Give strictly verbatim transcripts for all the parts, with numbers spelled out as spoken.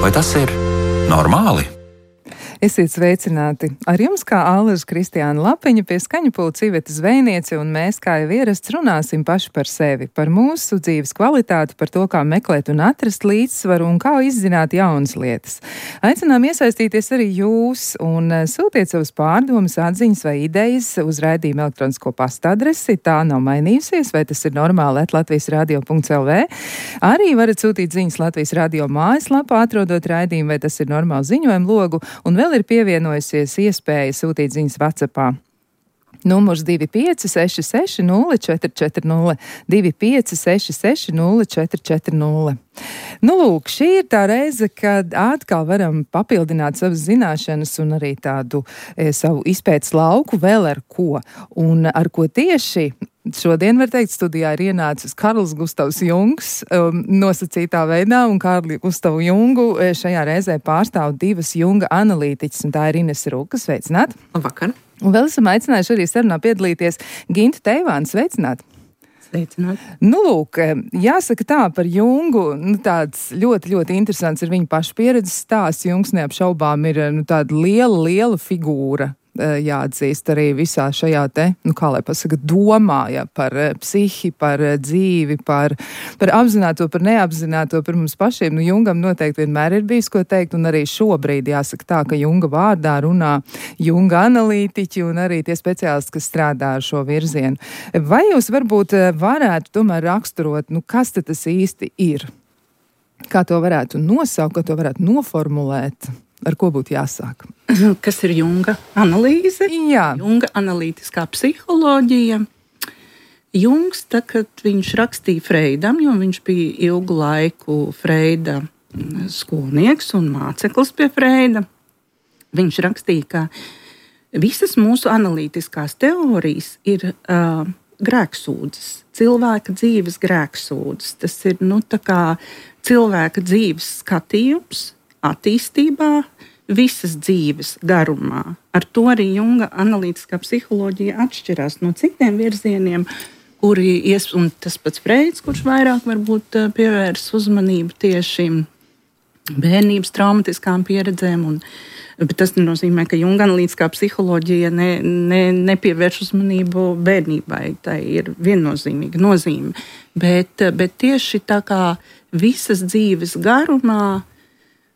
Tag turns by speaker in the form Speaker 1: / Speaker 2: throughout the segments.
Speaker 1: Vai tas ir normāli?
Speaker 2: Esiet sveicināti! Ar jums kā Alža Kristiāna Lapiņa pie skaņu pulca Iveta Zvejniece, un mēs, kā jau ierasts, runāsim paši par sevi, par mūsu dzīves kvalitāti, par to, kā meklēt un atrast līdzsvaru un kā izzināt jaunas lietas. Aicinām iesaistīties arī jūs un sūtiet savus pārdomas, atziņas vai idejas uz raidījuma elektronisko pasta adresi. Tā nav mainījusies, vai tas ir normāli at latvijas radio punkts el vē. Arī varat sūtīt ziņas Latvijas radio mājaslapā, atrodot raidījumu, vai tas ir normāli ziņojumu logu, un vēl ir pievienojusies iespēja sūtīt ziņas WhatsAppā. Numurs divi pieci seši seši nulle četri četri nulle, divi pieci seši seši nulle četri četri nulle. Nu, lūk, šī ir tā reize, kad atkal varam papildināt savas zināšanas un arī tādu e, savu izpētes lauku vēl ar ko. Un ar ko tieši šodien, var teikt, studijā ir ienācis Karls Gustavs Jungs um, nosacītā veidā, un Karli Gustavu Jungu šajā reizē pārstāv divas Junga analītiķas, un tā ir Inese Ruka. Sveicināt!
Speaker 3: Labvakar!
Speaker 2: Un vēl esam aicinājuši arī sarunā piedalīties Gintu Teivānu. Sveicināt!
Speaker 3: Sveicināt!
Speaker 2: Nu, lūk, jāsaka tā par Jungu, nu, tāds ļoti, ļoti interesants ir viņa paša pieredzes stāsts. Jungs neapšaubām ir nu, tāda liela, liela figūra. Jāatzīst arī visā šajā te, nu kā lai pasaka, domā, ja, par psihi, par dzīvi, par, par apzināto, par neapzināto, par mums pašiem. Nu, Jungam noteikti vienmēr ir bijis ko teikt, un arī šobrīd jāsaka tā, ka Junga vārdā runā Junga analītiķi un arī tie speciālisti, kas strādā ar šo virzienu. Vai jūs varbūt varētu tomēr raksturot, nu kas tad tas īsti ir? Kā to varētu nosaukt, kā to varētu noformulēt? Ar ko būtu jāsāk?
Speaker 3: Kas ir Junga analīze?
Speaker 2: Jā.
Speaker 3: Junga analītiskā psiholoģija. Jungs, tā, kad viņš rakstīja Freidam, jo viņš bija ilgu laiku Freida skolnieks un māceklis pie Freida, viņš rakstīja, ka visas mūsu analītiskās teorijas ir uh, grēksūdzes, cilvēka dzīves grēksūdzes. Tas ir, nu, tā kā cilvēka dzīves skatījums attīstībā, visas dzīves garumā. Ar to arī Junga analītiskā psiholoģija atšķirās no citiem virzieniem, kuri ies, un tas pats Freids, kurš vairāk varbūt pievērs uzmanību tieši bērnības traumatiskām pieredzēm, un, bet tas nenozīmē, ka Junga analītiskā psiholoģija ne, ne, nepievērš uzmanību bērnībai. Tā ir viennozīmīga nozīme. Bet, bet tieši tā kā visas dzīves garumā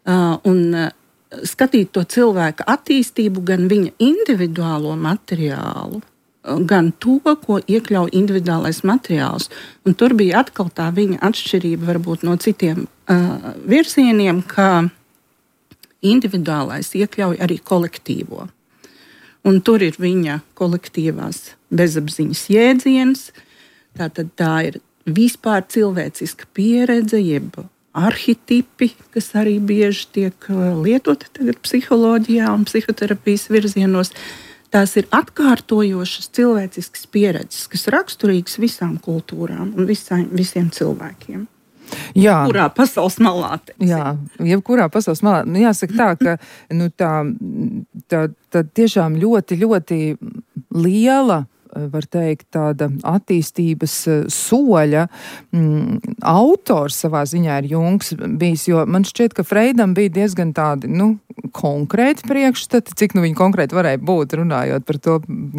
Speaker 3: Uh, un uh, skatīt to cilvēka attīstību, gan viņa individuālo materiālu, uh, gan to, ko iekļauj individuālais materiāls. Un tur bija atkal tā viņa atšķirība varbūt no citiem uh, virzieniem, ka individuālais iekļauj arī kolektīvo. Un tur ir viņa kolektīvās bezapziņas jēdziens, tātad tā ir vispār cilvēciska pieredze, jeb arhitipi, kas arī bieži tiek lietoti tagad psiholoģijā un psihoterapijas virzienos. Tās ir atkārtojošas cilvēciskas pieredzes, kas raksturīgas visām kultūrām un visām, visiem cilvēkiem.
Speaker 2: Jā.
Speaker 3: Kurā pasaules malā? Teiksim.
Speaker 2: Jā, jebkurā pasaules malā. Nu, jāsaka tā, ka nu, tā, tā, tā tiešām ļoti, ļoti liela, var teikt, tāda attīstības soļa mm, autors savā ziņā ir Jungs bijis, jo man šķiet, ka Freidam bija diezgan tādi, nu, konkrēti priekšstati, cik nu viņi konkrēti varēja būt, runājot par to,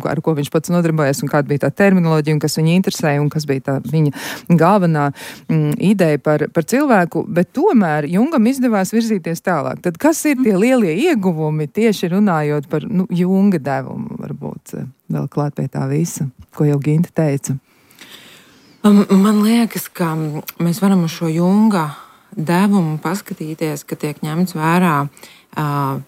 Speaker 2: ar ko viņš pats nodarbojas un kāda bija tā terminoloģija un kas viņu interesēja un kas bija tā viņa galvenā mm, ideja par, par cilvēku, bet tomēr Jungam izdevās virzīties tālāk. Tad kas ir tie lielie ieguvumi tieši runājot par, nu, Junga devumu, varbūt vēl klāt pie tā visa, ko jau Ginta teica?
Speaker 4: Man liekas, ka mēs varam uz šo Junga devumu paskatīties, ka tiek ņemts vērā uh,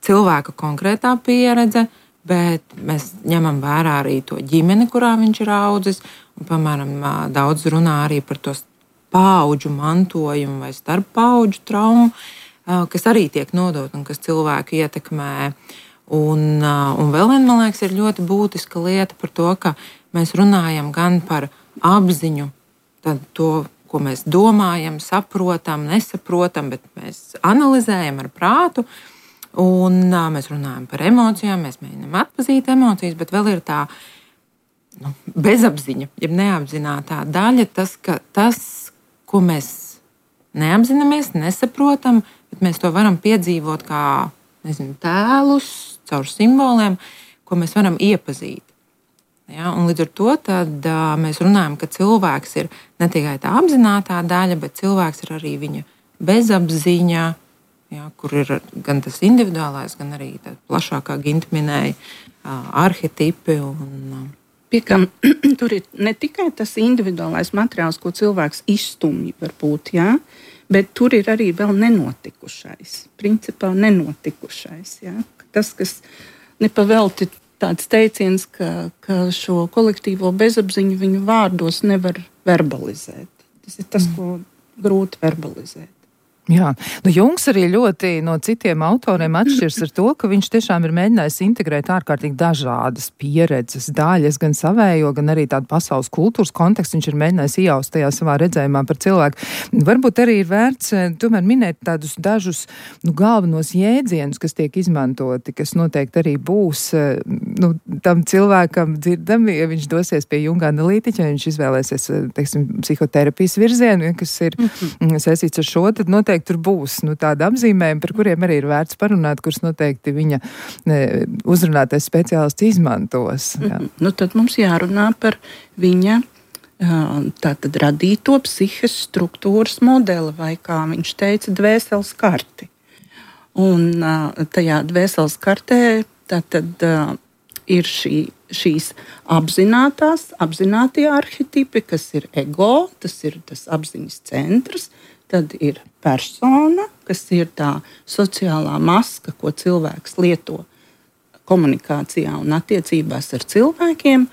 Speaker 4: cilvēka konkrētā pieredze, bet mēs ņemam vērā arī to ģimeni, kurā viņš ir audzis. Un, piemēram, uh, daudz runā arī par to paudžu mantojumu vai starp paudžu traumu, uh, kas arī tiek nodot un kas cilvēku ietekmē. Un, un vēl viena, man liekas, ir ļoti būtiska lieta par to, ka mēs runājam gan par apziņu, tad to, ko mēs domājam, saprotam, nesaprotam, bet mēs analizējam ar prātu, un mēs runājam par emocijām, mēs mēģinām atpazīt emocijas, bet vēl ir tā nu, bezapziņa, jeb neapzinātā daļa, tas, ka tas, ko mēs neapzināmies, nesaprotam, bet mēs to varam piedzīvot kā, nezinu, tēlus, caur simboliem, ko mēs varam iepazīt. Ja, un līdz ar to tad, uh, mēs runājam, ka cilvēks ir ne tikai tā apzinātā daļa, bet cilvēks ir arī viņa bezapziņa, ja, kur ir gan tas individuālais, gan arī tā plašākā Ginta minēja uh, arhetipi. Un, uh,
Speaker 3: Piekam, tur ir ne tikai tas individuālais materiāls, ko cilvēks izstumj varbūt, ja, bet tur ir arī vēl nenotikušais, principā nenotikušais. Ja. Tas, kas nepavelti tāds teiciens, ka, ka šo kolektīvo bezapziņu viņu vārdos nevar verbalizēt. Tas ir tas, ko grūti verbalizēt.
Speaker 2: Jā, nu Jungs arī ļoti no citiem autoriem atšķirs ar to, ka viņš tiešām ir mēģinājis integrēt ārkārtīgi dažādas pieredzes daļas, gan savējo, gan arī tādu pasaules kultūras kontekstu. Viņš ir mēģinājis iejaust tajā savā redzējumā par cilvēku. Varbūt arī ir vērts tomēr minēt tādus dažus nu, galvenos jēdzienus, kas tiek izmantoti, kas noteikti arī būs nu, tam cilvēkam dzirdami, ja viņš dosies pie Junga analītiķa, ja viņš izvēlēsies, teiksim, psihoterapijas virzienu, kas ir mm-hmm. saistīts ar šo, tad noteikti tur būs nu, tāda apzīmējuma, par kuriem arī ir vērts parunāt, kurus noteikti viņa ne, uzrunātais speciālists izmantos. Jā.
Speaker 3: Mm-hmm. Nu, tad mums jārunā par viņa tātad radīto psihes struktūras modeli, vai kā viņš teica, dvēseles karti. Un tajā dvēseles kartē tātad ir šī, šīs apzinātās, apzinātie arhetipi, kas ir ego, tas ir tas apziņas centrs. Tad ir persona, kas ir tā sociālā maska, ko cilvēks lieto komunikācijā un attiecībās ar cilvēkiem.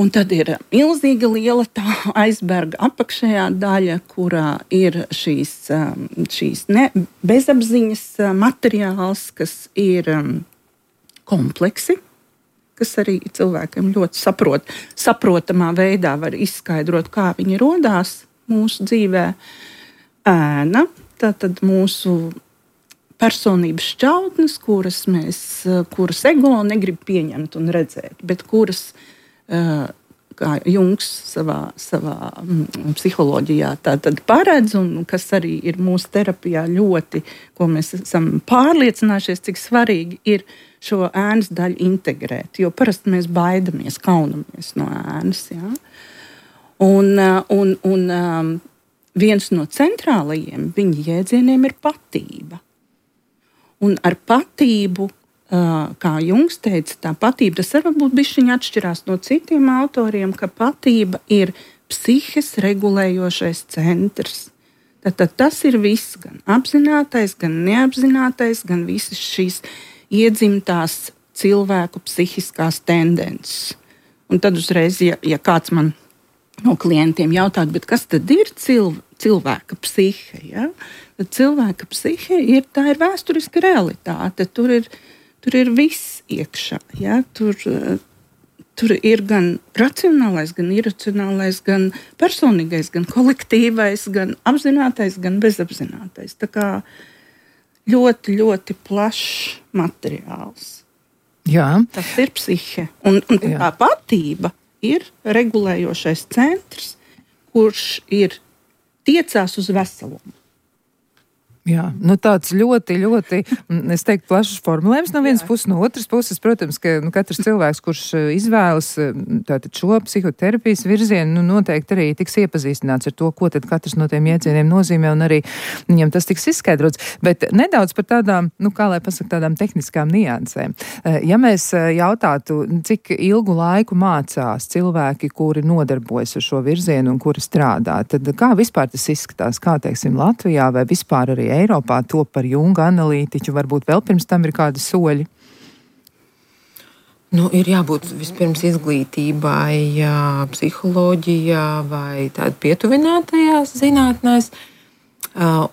Speaker 3: Un tad ir milzīga liela tā aizberga apakšējā daļa, kurā ir šīs, šīs ne, bezapziņas materiāls, kas ir kompleksi, kas arī cilvēkiem ļoti saprot, saprotamā veidā var izskaidrot, kā viņi rodās mūsu dzīvē. Ēna, tātad mūsu personības šķautnes, kuras, mēs, kuras ego negrib pieņemt un redzēt, bet kuras, kā Jungs savā, savā psiholoģijā tātad paredz, un kas arī ir mūsu terapijā ļoti, ko mēs esam pārliecinājušies, cik svarīgi ir šo ēnas daļu integrēt, jo parasti mēs baidamies, kaunamies no ēnas. Ja? Un, un, un viens no centrālajiem viņa jēdzieniem ir patība. Un ar patību, kā Jungs teica, tā patība, tas varbūt bišķiņ atšķirās no citiem autoriem, ka patība ir psihes regulējošais centrs. Tātad tas ir viss, gan apzinātais, gan neapzinātais, gan visas šīs iedzimtās cilvēku psihiskās tendences. Un tad uzreiz, ja, ja kāds man no klientiem jautāt, bet kas tad ir cilv, cilvēka psihe? Ja? Tad cilvēka psihe ir, tā ir vēsturiska realitāte. Tur ir, tur ir viss iekšā. Ja? Tur, tur ir gan racionālais, gan iracionālais, gan personīgais, gan kolektīvais, gan apzinātais, gan bezapzinātais. Tā kā ļoti, ļoti plašs materiāls.
Speaker 2: Jā.
Speaker 3: Tas ir psihe. Un, un tā patība ir regulējošais centrs, kurš ir tiecās uz veselumu.
Speaker 2: Jā, nu tāds ļoti, ļoti, es teiktu, plašs formulējums no vienas puses, no otras puses, protams, ka nu, katrs cilvēks, kurš izvēlas tātad šo psihoterapijas virzienu, nu, noteikti arī tiks iepazīstināts ar to, ko tad katrs no tiem jēdzieniem nozīmē, un arī viņam tas tiks izskaidrots. Bet nedaudz par tādām, nu, kā lai pasaka, tādām tehniskām niansēm. Ja mēs jautātu, cik ilgu laiku mācās cilvēki, kuri nodarbojas ar šo virzienu un kuri strādā, tad kā vispār tas izskatās, kā, teiksim, Latvijā vai vispār arī Eiropā to par Junga analītiķu, varbūt vēl pirms tam ir kādi soļi?
Speaker 4: Nu, ir jābūt vispirms izglītībai, jā, psiholoģijā vai tāda pietuvinātajās zinātnēs.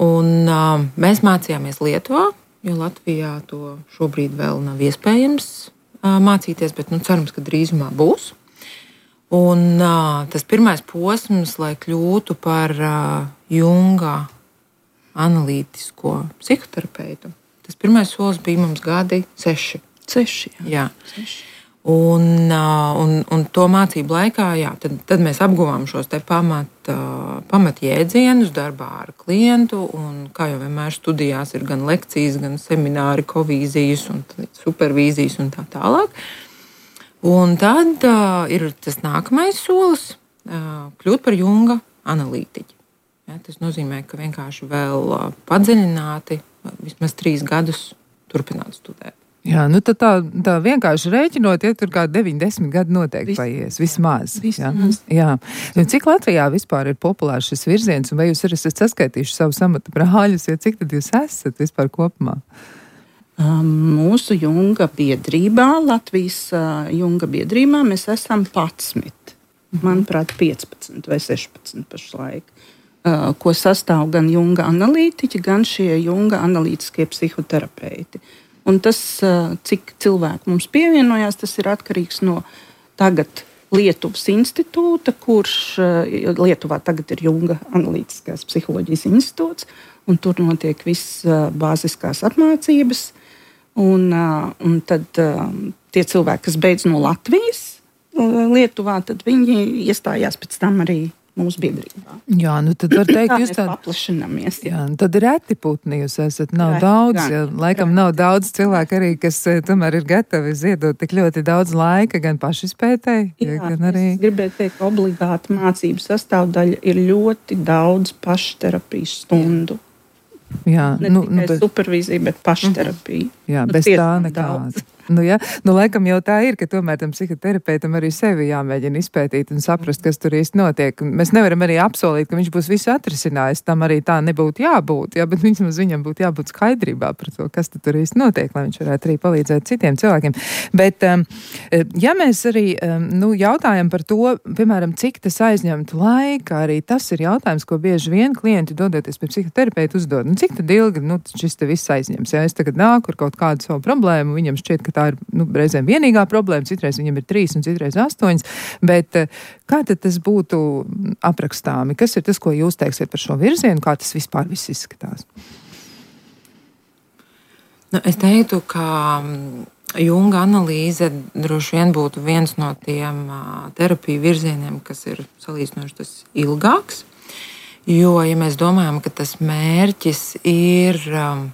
Speaker 4: Un mēs mācījāmies Lietuvā, jo Latvijā to šobrīd vēl nav iespējams mācīties, bet nu, cerams, ka drīzumā būs. Un tas pirmais posms, lai kļūtu par Junga analītisko psihoterapeitu. Tas pirmais solis bija mums gadi seši.
Speaker 3: Seši, jā.
Speaker 4: jā.
Speaker 3: Seši.
Speaker 4: Un, un, un to mācību laikā jā, tad, tad mēs apguvām šos te pamat, pamat jēdzienus darbā ar klientu. Un, kā jau vienmēr studijās ir gan lekcijas, gan semināri, kovīzijas un supervīzijas un tā tālāk. Un tad uh, ir tas nākamais solis uh, kļūt par Junga analītiķi. Ja, tas nozīmē, ka vienkārši vēl uh, padziļināti vismaz trīs gadus turpināt studēt.
Speaker 2: Jā, nu tad tā, tā vienkārši rēķinot, ja tur kā deviņi desmit gadi noteikti Vis, paies, vismaz.
Speaker 3: vismaz.
Speaker 2: Jā. Jā. Cik Latvijā vispār ir populārs šis virziens, un vai jūs arī esat saskaitījuši savus amata brāļus, ja cik tad jūs esat vispār kopumā?
Speaker 3: Um, mūsu Junga biedrībā, Latvijas uh, Junga biedrībā, mēs esam padsmit, manuprāt, piecpadsmit vai sešpadsmit pašlaik, uh, ko sastāv gan Junga analītiķi, gan šie Junga analītiskie psihoterapeiti. Un tas, cik cilvēku mums pievienojās, tas ir atkarīgs no tagad Lietuvas institūta, kurš Lietuvā tagad ir Junga analītiskās psiholoģijas institūts, un tur notiek viss bāziskās apmācības. Un, un tad tie cilvēki, kas beidz no Latvijas Lietuvā, tad viņi iestājās pēc tam arī mūsu biedrībā.
Speaker 2: Jā, nu tad var teikt, jūs
Speaker 3: tā paplašināmies.
Speaker 2: Jā, nu tad reti putni jūs esat, nav
Speaker 3: Reti,
Speaker 2: daudz,
Speaker 3: gan,
Speaker 2: ja, laikam nav daudz cilvēku arī, kas tomēr ir gatavi ziedot tik ļoti daudz laika, gan pašizpētēji,
Speaker 3: Jā,
Speaker 2: gan arī...
Speaker 3: es gribēju teikt, ka obligāta mācību sastāvdaļa ir ļoti daudz pašterapijas stundu.
Speaker 2: Jā,
Speaker 3: Ne
Speaker 2: nu,
Speaker 3: tikai
Speaker 2: nu, bet,
Speaker 3: supervīzija, bet pašterapija.
Speaker 2: jā,
Speaker 3: Nu,
Speaker 2: bez tā
Speaker 3: tiešām
Speaker 2: nekāds.
Speaker 3: daudz.
Speaker 2: Nu, ja, nu, laikam jau tā ir, ka tomēr tam psihoterapeitam arī sevi jāmēģina izpētīt un saprast, kas tur īsti notiek. Mēs nevaram arī apsolīt, ka viņš būs visu atrisinājis. Tam arī tā nebūtu jābūt, jā, bet viņam, viņam būtu jābūt skaidrībā par to, kas tur īsti notiek, lai viņš varētu arī palīdzēt citiem cilvēkiem. Bet, um, ja mēs arī um, nu, jautājam par to, piemēram, cik tas aizņemtu laika, arī tas ir jautājums, ko bieži vien klienti dodoties pie psihoterapeita uzdod. Nu, cik tad ilgi nu, šis te viss aizņems? Ja es tagad nāku ar kaut kādu savu problēmu, viņam šķiet, ka tā ir nu, reizēm vienīgā problēma, citreiz viņam ir trīs un citreiz astoņas, bet kā tad tas būtu aprakstāmi? Kas ir tas, ko jūs teiksiet par šo virzienu? Kā tas vispār viss izskatās?
Speaker 4: Nu, es teiktu, ka Junga analīze droši vien būtu viens no tiem uh, terapiju virzieniem, kas ir salīdzinoši tas ilgāks, jo, ja mēs domājam, ka tas mērķis ir... Um,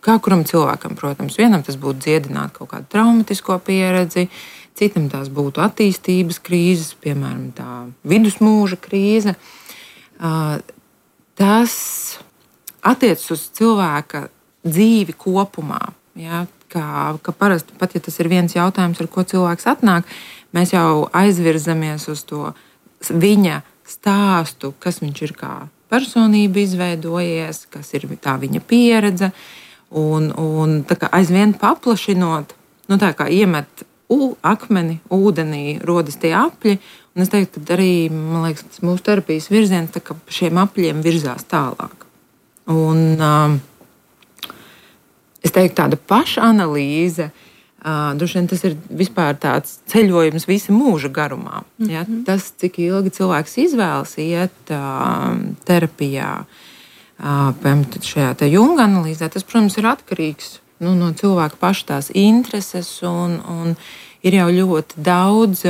Speaker 4: Kā kuram cilvēkam, protams, vienam tas būtu dziedināt kaut kādu traumatisko pieredzi, citam tās būtu attīstības krīzes, piemēram, tā vidusmūža krīze. Tas attiecas uz cilvēka dzīvi kopumā. Ja? Kā, ka parasti, pat ja tas ir viens jautājums, ar ko cilvēks atnāk, mēs jau aizvirzamies uz to viņa stāstu, kas viņš ir kā personība izveidojies, kas ir tā viņa pieredze. Un, un tā kā aizvien paplašinot, nu tā kā iemet u, akmeni ūdenī, rodas tie apļi. Un es teiktu, ka arī, man liekas, tas mūsu terapijas virziens tā kā šiem apļiem virzās tālāk. Un um, es teiktu, tāda pašanalīze, uh, droši vien tas ir vispār tāds ceļojums visa mūža garumā. Ja? Mm-hmm. Tas, cik ilgi cilvēks izvēlas iet uh, terapijā, piemēram, šajā Junga analīzē, tas, protams, ir atkarīgs nu, no cilvēka paša tās intereses, un, un ir jau ļoti daudz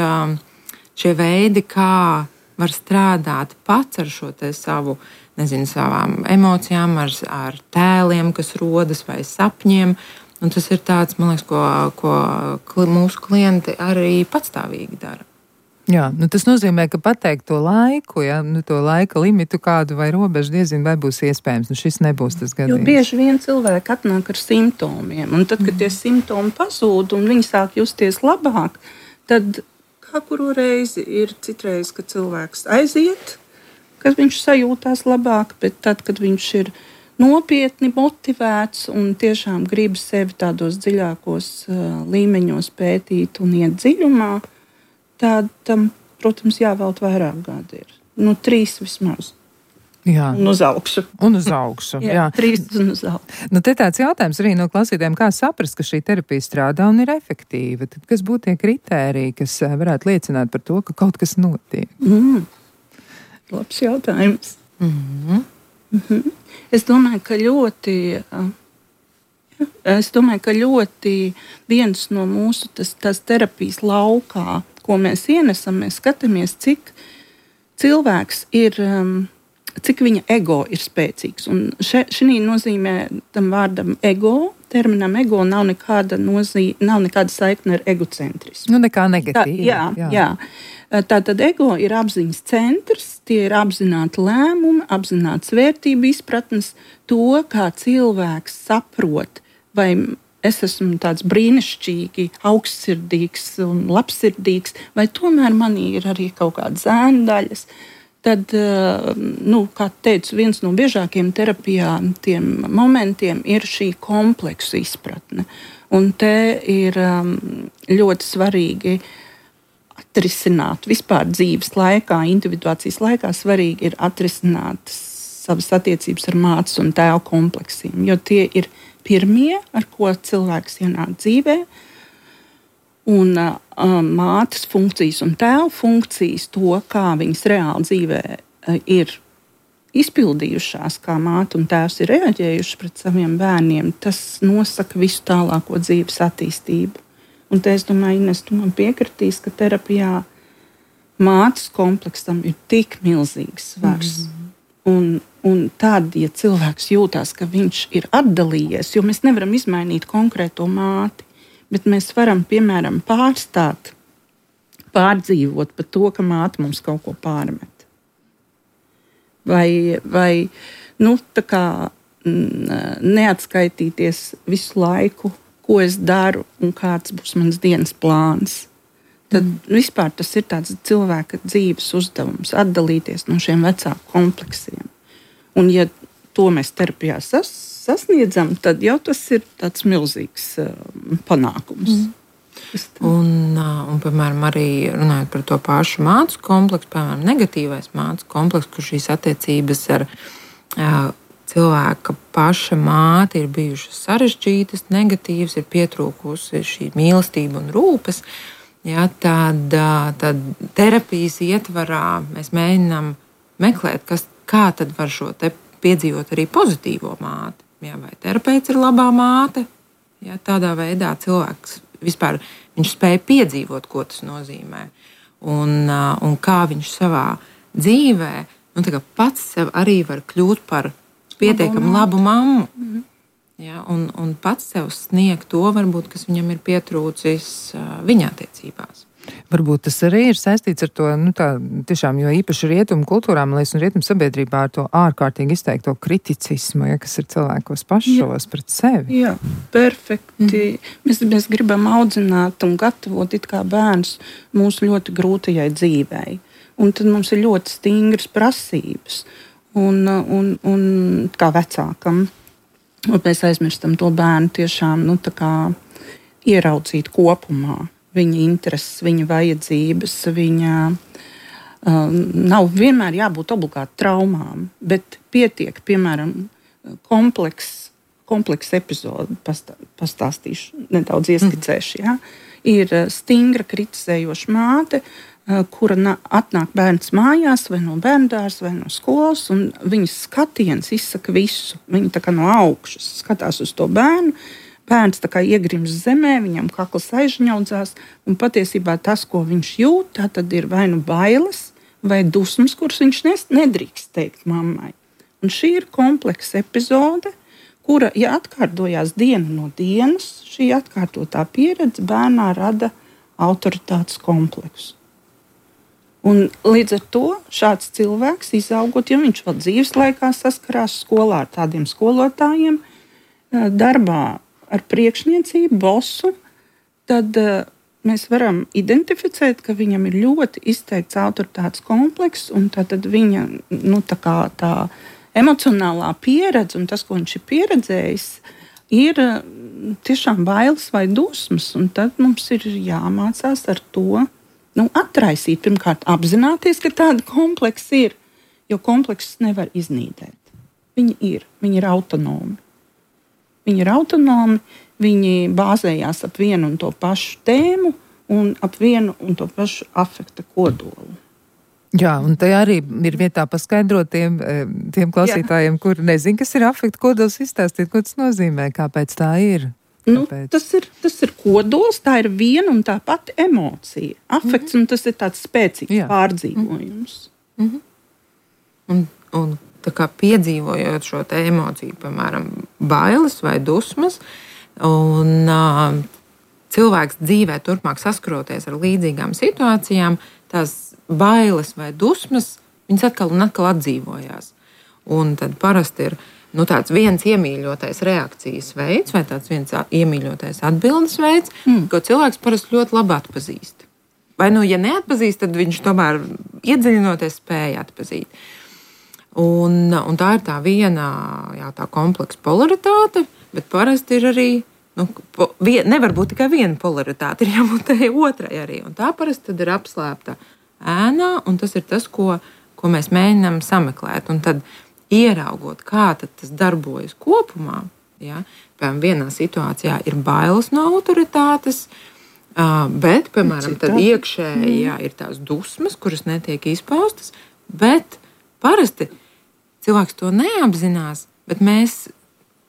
Speaker 4: šie veidi, kā var strādāt pats ar šo te savu, nezinu, savām emocijām, ar, ar tēliem, kas rodas, vai sapņiem. Un tas ir tāds, man liekas, ko, ko mūsu klienti arī patstāvīgi dara.
Speaker 2: Jā, nu tas nozīmē, ka pateikt to laiku, ja, nu to laika limitu kādu vai robežu diezin vai būs iespējams. Nu šis nebūs tas gadījums.
Speaker 3: Jo bieži vien cilvēki atnāk ar simptomiem, un tad, kad tie simptomi pazūd un viņi sāk justies labāk, tad kā kuru reizi ir citreiz, kad cilvēks aiziet, kad viņš sajūtās labāk, bet tad, kad viņš ir nopietni motivēts un tiešām grib sevi tādos dziļākos uh, līmeņos pētīt un iet dziļumā, tad tam, protams, jāvēlt vairāk gadi ir. Nu, trīs vismaz.
Speaker 2: Jā.
Speaker 3: Un uz augšu.
Speaker 2: Un uz augšu, jā.
Speaker 3: jā. Trīs un uz augšu.
Speaker 2: Nu, te tāds jautājums arī no klausītājiem, kā saprast, ka šī terapija strādā un ir efektīva. Tad kas būtu tie kritēriji, kas varētu liecināt par to, ka kaut kas notiek?
Speaker 3: Mm. Labs jautājums.
Speaker 4: Mm-hmm.
Speaker 3: Mm-hmm. Es domāju, ka ļoti Es domāju, ka ļoti viens no mūsu tas, tas terapijas laukā, ko mēs ienesam, mēs skatāmies, cik cilvēks ir, cik viņa ego ir spēcīgs. Un šī nozīmē tam vārdam ego, terminam ego nav nekāda, nozīme, nav nekāda saikne ar egocentrismu.
Speaker 2: Nu, nekā negatīva.
Speaker 3: Tā, jā, jā. jā. Tātad ego ir apziņas centrs, tie ir apzināti lēmumi, apzināts vērtību izpratnes, to, kā cilvēks saprot, vai es esmu tāds brīnišķīgi, augstsirdīgs un labsirdīgs, vai tomēr manī ir arī kaut kādas ēndaļas. Tad, nu, kā teicu, viens no biežākiem terapijā tiem momentiem ir šī kompleksu izpratne. Un te ir ļoti svarīgi atrisināt vispār dzīves laikā, individuācijas laikā svarīgi ir atrisināt savas attiecības ar mātes un tēva kompleksiem, jo tie ir pirmie, ar ko cilvēks ienāk dzīvē, un uh, mātes funkcijas un tēva funkcijas, to, kā viņas reāli dzīvē uh, ir izpildījušās, kā māte un tēvs ir reaģējuši pret saviem bērniem, tas nosaka visu tālāko dzīves attīstību. Un te es domāju, Ines, tu man piekritīs, ka terapijā mātes kompleksam ir tik milzīgs svars. Mm. Un, un tad, ja cilvēks jūtās, ka viņš ir atdalījies, jo mēs nevaram izmainīt konkrēto māti, bet mēs varam, piemēram, pārstāt, pārdzīvot par to, ka māte mums kaut ko pārmet. Vai, vai nu, tā kā neatskaitīties visu laiku, ko es daru un kāds būs mans dienas plāns. Tad mm. vispār tas ir tāds cilvēka dzīves uzdevums, atdalīties no šiem vecāku kompleksiem. Un ja to mēs terapijā sas, sasniedzam, tad jau tas ir tāds milzīgs uh, panākums. Mm.
Speaker 4: Un, un, piemēram, arī runājot par to pašu mācu kompleksu, piemēram, negatīvais mācu komplekss, kur šīs attiecības ar uh, cilvēka paša māte ir bijušas sarežģītas, negatīvas, ir pietrūkusi šī mīlestība un rūpes, ja, tad, tad terapijas ietvarā mēs mēģinām meklēt, kas, kā tad var šo te piedzīvot arī pozitīvo māti. Ja, vai terapeits ir labā māte, ja, tādā veidā cilvēks vispār viņš spēja piedzīvot, ko tas nozīmē. Un, un kā viņš savā dzīvē nu, pats sev arī var kļūt par pietiekami labu mammu. Mm. Ja, un, un pats sev sniegt to, varbūt, kas viņam ir pietrūcis uh, viņa attiecībās.
Speaker 2: Varbūt tas arī ir saistīts ar to, nu tā, tiešām, jo īpaši rietumu kultūrām, lai un rietumu sabiedrībā ar to ārkārtīgi izteikto kriticismu, ja, kas ir cilvēkos pašos jā. Pret sevi.
Speaker 3: Jā, perfekti. Mm. Mēs, mēs gribam audzināt un gatavot it kā bērns mūsu ļoti grūtajai dzīvei. Un tad mums ir ļoti stingras prasības. Un, un, un kā vecākam, un mēs aizmirstam to bērnu tiešām nu, kā, ieraudzīt kopumā viņa intereses, viņa vajadzības, viņa um, nav vienmēr jābūt obligāti traumām, bet pietiek, piemēram, kompleks, kompleks epizode, pastā, pastāstīšu, nedaudz ieskicēšu, ja? Ir stingra kritizējoša māte, kura atnāk bērns mājās, vai no bērndārs, vai no skolas, un viņas skatiens izsaka visu. Viņa tā kā no augšas skatās uz to bērnu, bērns tā kā iegrims zemē, viņam kakls aizņaudzās, un patiesībā tas, ko viņš jūt, tā tad ir vai nu bailes, vai dusmas, kuras viņš nedrīkst teikt mammai. Un šī ir kompleksa epizode, kura, ja atkārtojās diena no dienas, šī atkārtotā pieredze bērnā rada autoritātes kompleksu. Un līdz ar to šāds cilvēks izaugot, ja viņš vēl dzīves laikā saskarās skolā ar tādiem skolotājiem, darbā ar priekšniecību, bosu, tad mēs varam identificēt, ka viņam ir ļoti izteikts autoritātes komplekss, un tad viņa nu, tā kā, tā emocionālā pieredze un tas, ko viņš ir pieredzējis, ir tiešām bailes vai dusmas. Un tad mums ir jāmācās ar to. Nu, atraisīt, pirmkārt, apzināties, ka tāda kompleksa ir, jo kompleksus nevar iznīdēt. Viņi ir, viņi ir autonomi. Viņi ir autonomi, viņi bāzējās ap vienu un to pašu tēmu un ap vienu un to pašu afekta kodolu.
Speaker 2: Jā, un te arī ir vietā paskaidrot tiem, tiem klausītājiem, kur nezin, kas ir afekta kodols, izstāstīt, ko tas nozīmē, kāpēc tā ir.
Speaker 3: Nu, tas, ir, tas ir kodols, tā ir viena un tā pati emocija. Afekts, mm-hmm. un tas ir tāds spēcīgs Jā. Pārdzīvojums.
Speaker 4: Mm-hmm. Un, un tā kā piedzīvojot šo te emociju, piemēram, bailes vai dusmas, un uh, cilvēks dzīvē turpmāk saskaroties ar līdzīgām situācijām, tās bailes vai dusmas, viņas atkal un atkal atdzīvojās. Un tad parasti ir nu, tāds viens iemīļotais reakcijas veids vai tāds viens iemīļotais atbildes veids, mm. ko cilvēks parasti ļoti labi atpazīst. Vai nu, ja neatpazīst, tad viņš tomēr iedziļinoties spēja atpazīt. Un, un tā ir tā viena jā, tā kompleksa polaritāte, bet parasti ir arī, nu, po, vien, nevar būt tikai viena polaritāte, ir jābūt tai otrai arī. Un tā parasti tad ir apslēpta ēnā, un tas ir tas, ko, ko mēs mēģinām sameklēt. Un tad ieraugot, kā tas darbojas kopumā, ja, piemēram, vienā situācijā ir bailes no autoritātes, bet, piemēram, tad iekšēji jā, ir tās dusmas, kuras netiek izpaustas, bet parasti cilvēks to neapzinās, bet mēs,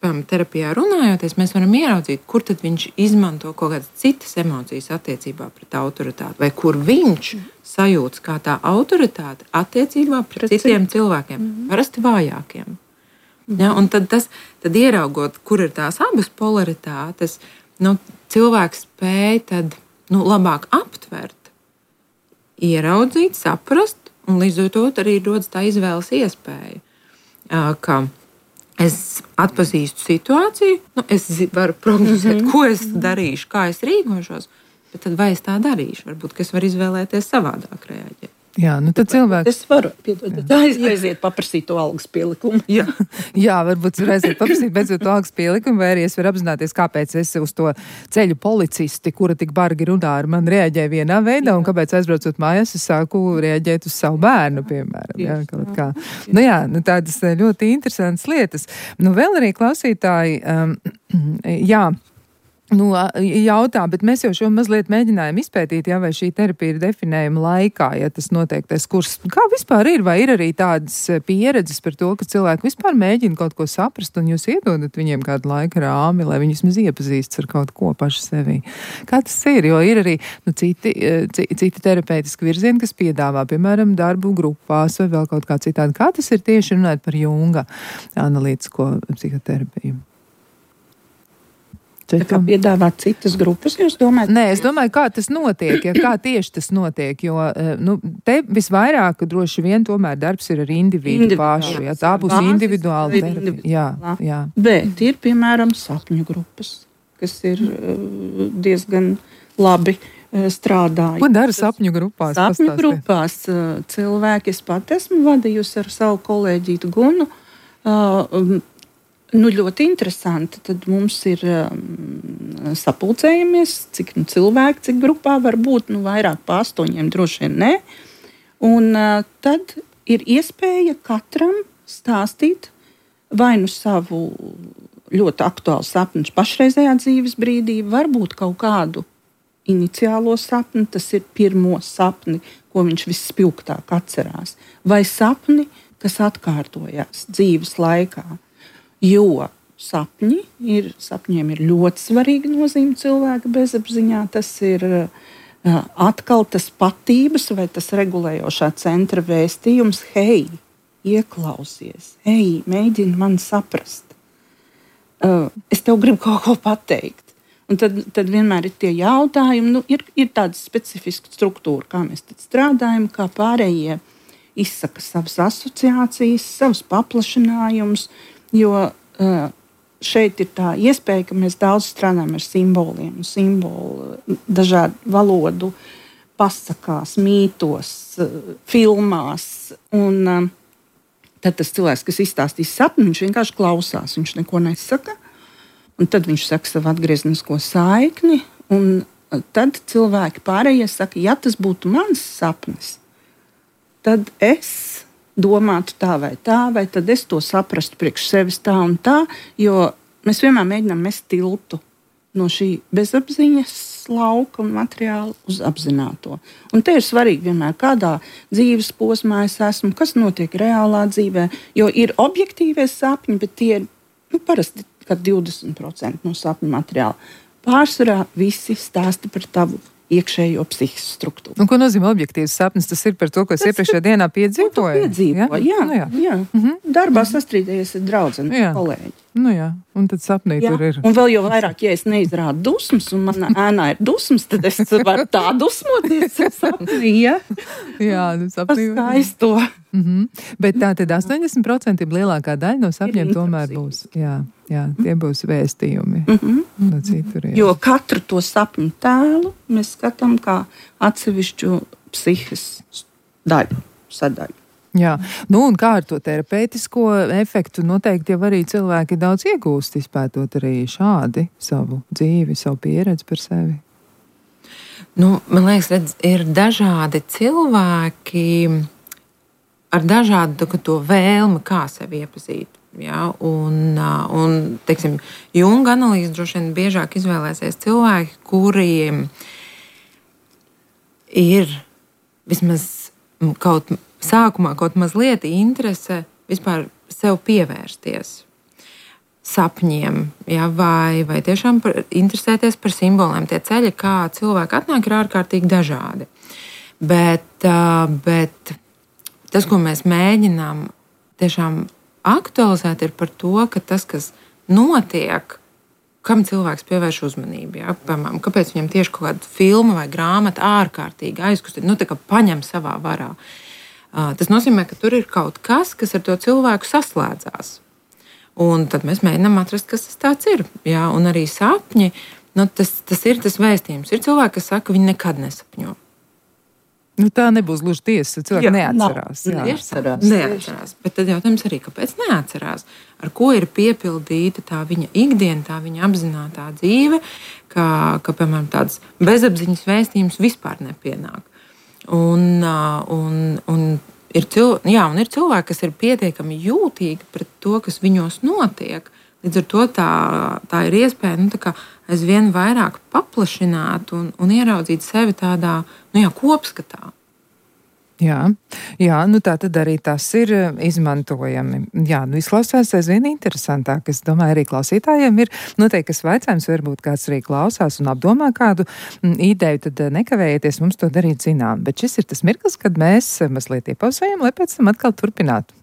Speaker 4: piemēram, terapijā runājoties, mēs varam ieraudzīt, kur tad viņš izmanto kaut kādas citas emocijas attiecībā pret autoritāti, vai kur viņš sajūtas kā tā autoritāte attiecībā pret citiem cilvēkiem, mm-hmm. parasti vājākiem. Mm-hmm. Ja, un tad, tas, tad ieraugot, kur ir tās abas polaritātes, nu, cilvēks spēj tad, nu, labāk aptvert, ieraudzīt, saprast, un līdz ar to arī rodas tā izvēles iespēja, ka es atpazīstu situāciju, nu, es varu prognozēt, mm-hmm. ko es darīšu, kā es rīkošos, bet tad vai es tā darīšu? Varbūt, ka es varu izvēlēties savādāk reaģēt.
Speaker 2: Jā, nu tad cilvēks...
Speaker 3: Es varu, piedod, aiz, aiziet paprasīt to algas pielikumu.
Speaker 2: Jā, jā, varbūt var aiziet paprasīt beidzot to algas pielikumu, vai arī es varu apzināties, kāpēc es uz to ceļu policisti, kura tik bargi runā ar mani, reaģēju vienā veidā, jā. Un kāpēc aizbraucot mājās, es sāku reaģēt uz savu bērnu, piemēram. Jā, kaut kā. Nu jā, nu tādas ļoti interesantas lietas. Nu vēl arī klausītāji, um, jā, Nu, jautā, bet mēs jau šo mazliet mēģinājām izpētīt, ja, vai šī terapija ir definējama laikā, ja tas noteiktais kurs. Kā vispār ir? Vai ir arī tādas pieredzes par to, ka cilvēki vispār mēģina kaut ko saprast, un jūs iedodat viņiem kādu laika rāmi, lai viņi vismaz iepazīstas ar kaut ko paši sevī? Kā tas ir? Jo ir arī nu, citi, citi terapeitiski virzieni, kas piedāvā, piemēram, darbu grupās vai vēl kaut kā citādi. Kā tas ir tieši runāt par Junga analītisko psihoterapiju?
Speaker 3: Tā kā piedāvāt citas grupas, jūs domājat?
Speaker 2: Nē, es domāju, kā tas notiek, ja kā tieši tas notiek, jo nu, te visvairāk droši vien tomēr darbs ir ar individu pašu, ja tā būs individuāla terapija. Jā, jā.
Speaker 3: Bet ir, piemēram, sapņu grupas, kas ir diezgan labi strādājuši.
Speaker 2: Ko dara sapņu grupās?
Speaker 3: Sapņu pastāstīt? Grupās cilvēki, es pat esmu vadījusi ar savu kolēģītu Gunu, uh, Nu, ļoti interesanti. Tad mums ir um, sapulcējamies, cik nu, cilvēki, cik grupā var būt, nu, vairāk pa astoņiem droši vien ne. Un uh, tad ir iespēja katram stāstīt vai nu savu ļoti aktuālu sapni pašreizējā dzīves brīdī, varbūt kaut kādu iniciālo sapni, tas ir pirmo sapni, ko viņš visspilgtāk atcerās, vai sapni, kas atkārtojās dzīves laikā. Jo sapņi ir, sapņiem ir ļoti svarīga nozīme cilvēka bezapziņā. Tas ir uh, atkal tas patības vai tas regulējošā centra vēstījums. Hei, ieklausies, hei, mēģini mani saprast. Uh, es tev gribu kaut ko pateikt. Un tad, tad vienmēr ir tie jautājumi. Nu, ir, ir tāda specifiska struktūra, kā mēs tad strādājam, kā pārējie izsaka savas asociācijas, savus paplašinājumus. Jo uh, šeit ir tā iespēja, ka mēs daudz strādājam ar simboliem, simbolu, dažādu valodu, pasakās, mītos, uh, filmās. Un, uh, tad tas cilvēks, kas izstāstīs sapni, viņš vienkārši klausās, viņš neko nesaka. Un tad viņš saka savu atgrieznisko saikni. Un uh, tad cilvēki pārējie saka, ja tas būtu mans sapnis, tad es domātu tā vai tā, vai tad es to saprastu priekš sevis tā un tā, jo mēs vienmēr mēģinām mest tiltu no šī bezapziņas lauka un materiāla uz apzināto. Un te ir svarīgi vienmēr, kādā dzīves posmā es esmu, kas notiek reālā dzīvē, jo ir objektīvie sapņi, bet tie ir nu, parasti kā divdesmit procenti no sapņu materiāla. Pārsvarā visi stāsta par tavu iekšējo psihisku struktūru.
Speaker 2: Un ko nozīmē objektīvs sapnis? Tas ir par to, ko es iepriekšējā dienā piedzīvoju.
Speaker 3: Piedzīvo, jā, jā, jā. jā. Mm-hmm. Darbā sastrīdējies ar draudzeni, kolēģi.
Speaker 2: Nu jā, un tad sapnī jā. Tur ir.
Speaker 3: Un vēl jau vairāk, ja es neizrādu dusmas, un manā ēnā ir dusmas, tad es varu tā dusmoties sapnī, ja?
Speaker 2: Jā, nu sapnī.
Speaker 3: Skaisto.
Speaker 2: Mm-hmm. Bet tā tad astoņdesmit procenti lielākā daļa no sapņiem tomēr būs. Jā, jā, tie būs vēstījumi. Mm-hmm. No citur,
Speaker 3: jo katru to sapņu tēlu mēs skatām kā atsevišķu psihes daļu, sadaļu.
Speaker 2: Jā, nu un kā ar to terapeitisko efektu noteikti jau arī cilvēki daudz iegūst, izpētot arī šādi savu dzīvi, savu pieredzi par sevi.
Speaker 4: Nu, man liekas, redz, ir dažādi cilvēki ar dažādu to vēlmi, kā sevi iepazīt. Ja? Un, un teiksim, Junga analīze droši vien biežāk izvēlēsies cilvēki, kuriem ir vismaz kaut sākumā kaut mazliet interese vispār sev pievērsties sapņiem, ja, vai, vai tiešām par, interesēties par simboliem. Tie ceļi, kā cilvēki atnāk, ir ārkārtīgi dažādi. Bet, bet tas, ko mēs mēģinām tiešām aktualizēt, ir par to, ka tas, kas notiek, kam cilvēks pievērš uzmanību. Ja? Piemēram, kāpēc viņam tieši kaut kāda filma vai grāmata ārkārtīgi aizkustina, nu tā kā paņem savā varā. Tas nozīmē, ka tur ir kaut kas, kas ar to cilvēku saslēdzās. Un tad mēs mēģinām atrast, kas tas tāds ir. Jā, un arī sapņi, nu, tas, tas ir tas vēstījums. Ir cilvēki, kas saka, ka viņi nekad nesapņo.
Speaker 2: Nu, tā nebūs gluži tiesa. Cilvēki jā, neatcerās.
Speaker 3: Jā, neatcerās.
Speaker 4: neatcerās. Bet tad jautājums arī, kāpēc neatcerās? Ar ko ir piepildīta tā viņa ikdiena, tā viņa apzinātā dzīve, ka, ka piemēram, tāds bezapziņas vēstījums vispār nepienāk. Un, un, un, ir cil, jā, un ir cilvēki, kas ir pietiekami jūtīgi pret to, kas viņos notiek. Līdz ar to tā, tā ir iespēja nu, tā kā aizvien vairāk paplašināt un, un ieraudzīt sevi tādā nu, jā, kopskatā.
Speaker 2: Jā, jā, nu tā tad arī tas ir izmantojami. Jā, nu izklausās aizvien interesantāk. Es domāju, arī klausītājiem ir noteikti, kas vaicājums, varbūt kāds arī klausās un apdomā kādu ideju, tad nekavējieties mums to darīt zinām. Bet šis ir tas mirklis, kad mēs mazliet iepauzējam, lai pēc tam atkal turpinātu.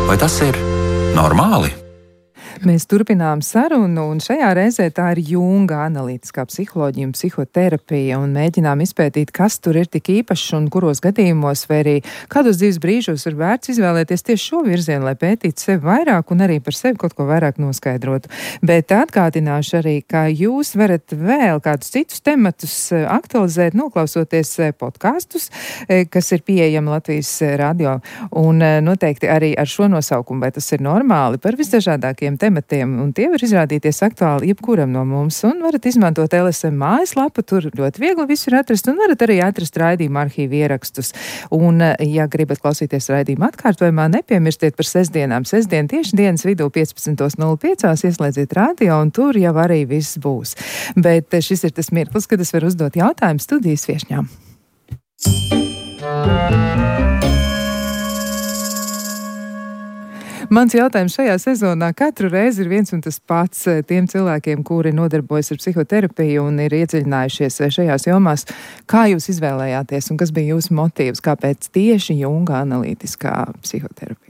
Speaker 1: Vai tas ir normāli?
Speaker 2: Mēs turpinām sarunu, un šajā reizē tā ir Junga analītiskā psiholoģija un psihoterapija, un mēģinām izpētīt, kas tur ir tik īpašs un kuros gadījumos, vai arī kādos dzīves brīžos ir vērts izvēlēties tieši šo virzienu, lai pētītu sevi vairāk un arī par sevi kaut ko vairāk noskaidrotu. Bet atgādināšu arī, ka jūs varat vēl kādus citus tematus aktualizēt, noklausoties podkastus, kas ir pieejami Latvijas radio, un noteikti arī ar šo nosaukumu, vai tas ir normāli, par visdažādākiem tematiem. Tematiem, un tie var izrādīties aktuāli jebkuram no mums, un varat izmantot L S M mājaslapu, tur ļoti viegli visu ir atrast, un varat arī atrast raidījuma arhīvu ierakstus. Un, ja gribat klausīties raidījuma atkārtojumā, nepiemirstiet par sestdienām. Sestdien tieši dienas vidū piecpadsmit nulle pieci ieslēdziet radio, un tur jau arī viss būs. Bet šis ir tas mirklis, kad es varu uzdot jautājumu studijas viešņām. Mans jautājums šajā sezonā katru reizi ir viens un tas pats tiem cilvēkiem, kuri nodarbojas ar psihoterapiju un ir iedziļinājušies šajās jomās. Kā jūs izvēlējāties un kas bija jūsu motīvs, kāpēc tieši Junga analītiskā psihoterapija?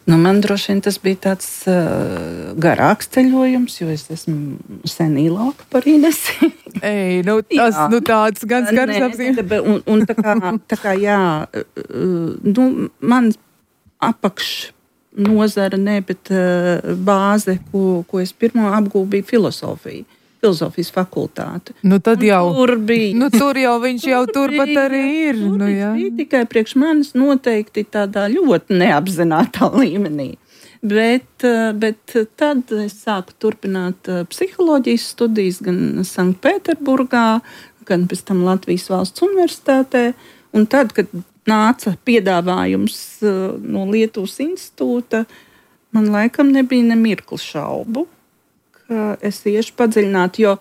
Speaker 3: Nu, man droši vien tas bija tāds uh, garāks ceļojums, jo es esmu sen īlāka par Inesi.
Speaker 2: Ei, nu, tas, jā. Nu tāds gan skars apzīmē.
Speaker 3: Un, un tā kā, tā kā jā, nu, man apakš nozara, ne, bet uh, bāze, ko, ko es pirmo apgūvu, bija filosofija. filozofijas fakultāti.
Speaker 2: Nu, tad jau,
Speaker 3: tur bija.
Speaker 2: Nu, tur jau viņš jau turpat arī ir.
Speaker 3: Tur
Speaker 2: nu, jā.
Speaker 3: bija tikai priekš manis noteikti tādā ļoti neapzinātā līmenī. Bet, bet tad es sāku turpināt psiholoģijas studijas gan Sanktpēterburgā, gan pēc tam Latvijas Valsts Universitātē. Un tad, kad nāca piedāvājums no Lietuvas institūta, man laikam nebija ne mirkli šaubu, ka es iešu padziļināt, jo,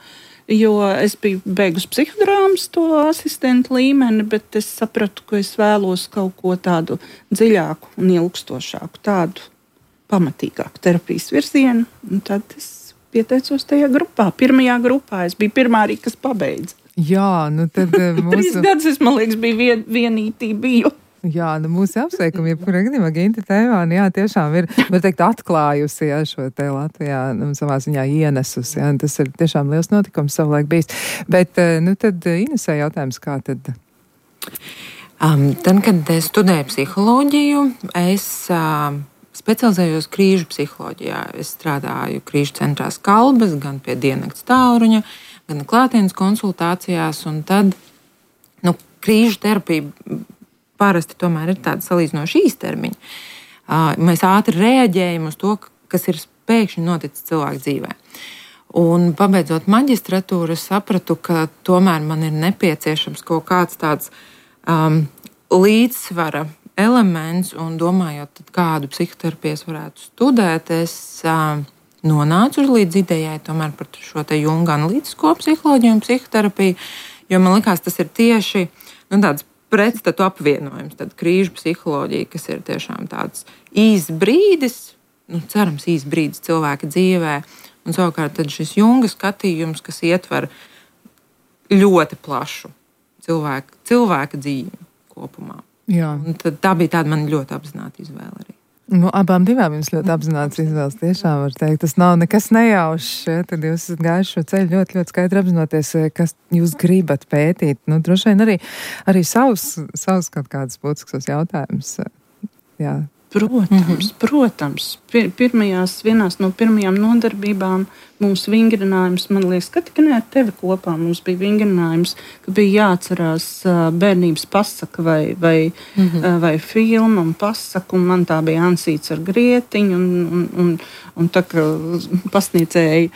Speaker 3: jo es biju beigusi psihodrāmas to asistentu līmeni, bet es sapratu, ka es vēlos kaut ko tādu dziļāku un ilgstošāku, tādu pamatīgāku terapijas virzienu. Un tad es pieteicos tajā grupā. Pirmajā grupā es biju pirmā arī, kas pabeidza.
Speaker 2: Jā, nu tad mūsu...
Speaker 3: Trīs gadus es, man liekas, biju vien, vienītī biju.
Speaker 2: Jā, nu mūsu apsveikumi, jebkurā gadījumā Ginta Teivāne, jā, tiešām ir, var teikt, atklājusi, jā, šo te Latvijā, nu, savā ziņā ienesusi, jā, tas ir tiešām liels notikums savulaik bijis. Bet, nu, tad Inesē jautājums, kā tad?
Speaker 4: Um, tad, kad es studēju psiholoģiju, es uh, specializējos krīžu psiholoģijā. Es strādāju krīžu centrā Skalbes, gan pie diennakts tālruņa, gan klātienes konsultācijās, un tad, nu, krīžu terapija parasti tomēr ir tāda salīdzinoši īstermiņa. Mēs ātri reaģējam uz to, kas ir pēkšņi noticis cilvēku dzīvē. Un pabeidzot maģistratūru, es sapratu, ka tomēr man ir nepieciešams kaut kāds tāds um, līdzsvara elements, un domājot, tad kādu psihoterapiju es varētu studēt, es um, nonācu līdz idejai tomēr par šo te Junga analītisko psiholoģiju un psihoterapiju, jo man likās, tas ir tieši nu, tāds pretstatu apvienojums, tad krīžu psiholoģija, kas ir tiešām tāds īsts brīdis, nu, cerams, īsts brīdis cilvēka dzīvē, un savukārt tad šis Junga skatījums, kas ietver ļoti plašu cilvēka, cilvēka dzīvi kopumā.
Speaker 2: Jā.
Speaker 4: Un tad tā bija tāda man ļoti apzināta izvēle arī.
Speaker 2: Nu, abām divām jums ļoti apzināts izvēles, tiešām var teikt. Tas nav nekas nejaušs, ja? Tad jūs esat gājuši šo ceļu ļoti, ļoti skaidri apzinoties, kas jūs gribat pētīt. Nu, droši vien arī, arī savus, savus kaut kādas būtiskas jautājumus. Jā.
Speaker 3: Protams, mm-hmm. protams. Pir, pirmajās, vienās no pirmajām nodarbībām mums vingrinājums, man liekas, ka tikai ne ar tevi kopā mums bija vingrinājums, ka bija jāatcerās bērnības pasaka vai, vai, mm-hmm. vai filma un pasaka, un man tā bija ansīts ar grietiņu, un, un, un, un tā, ka pasniedzēji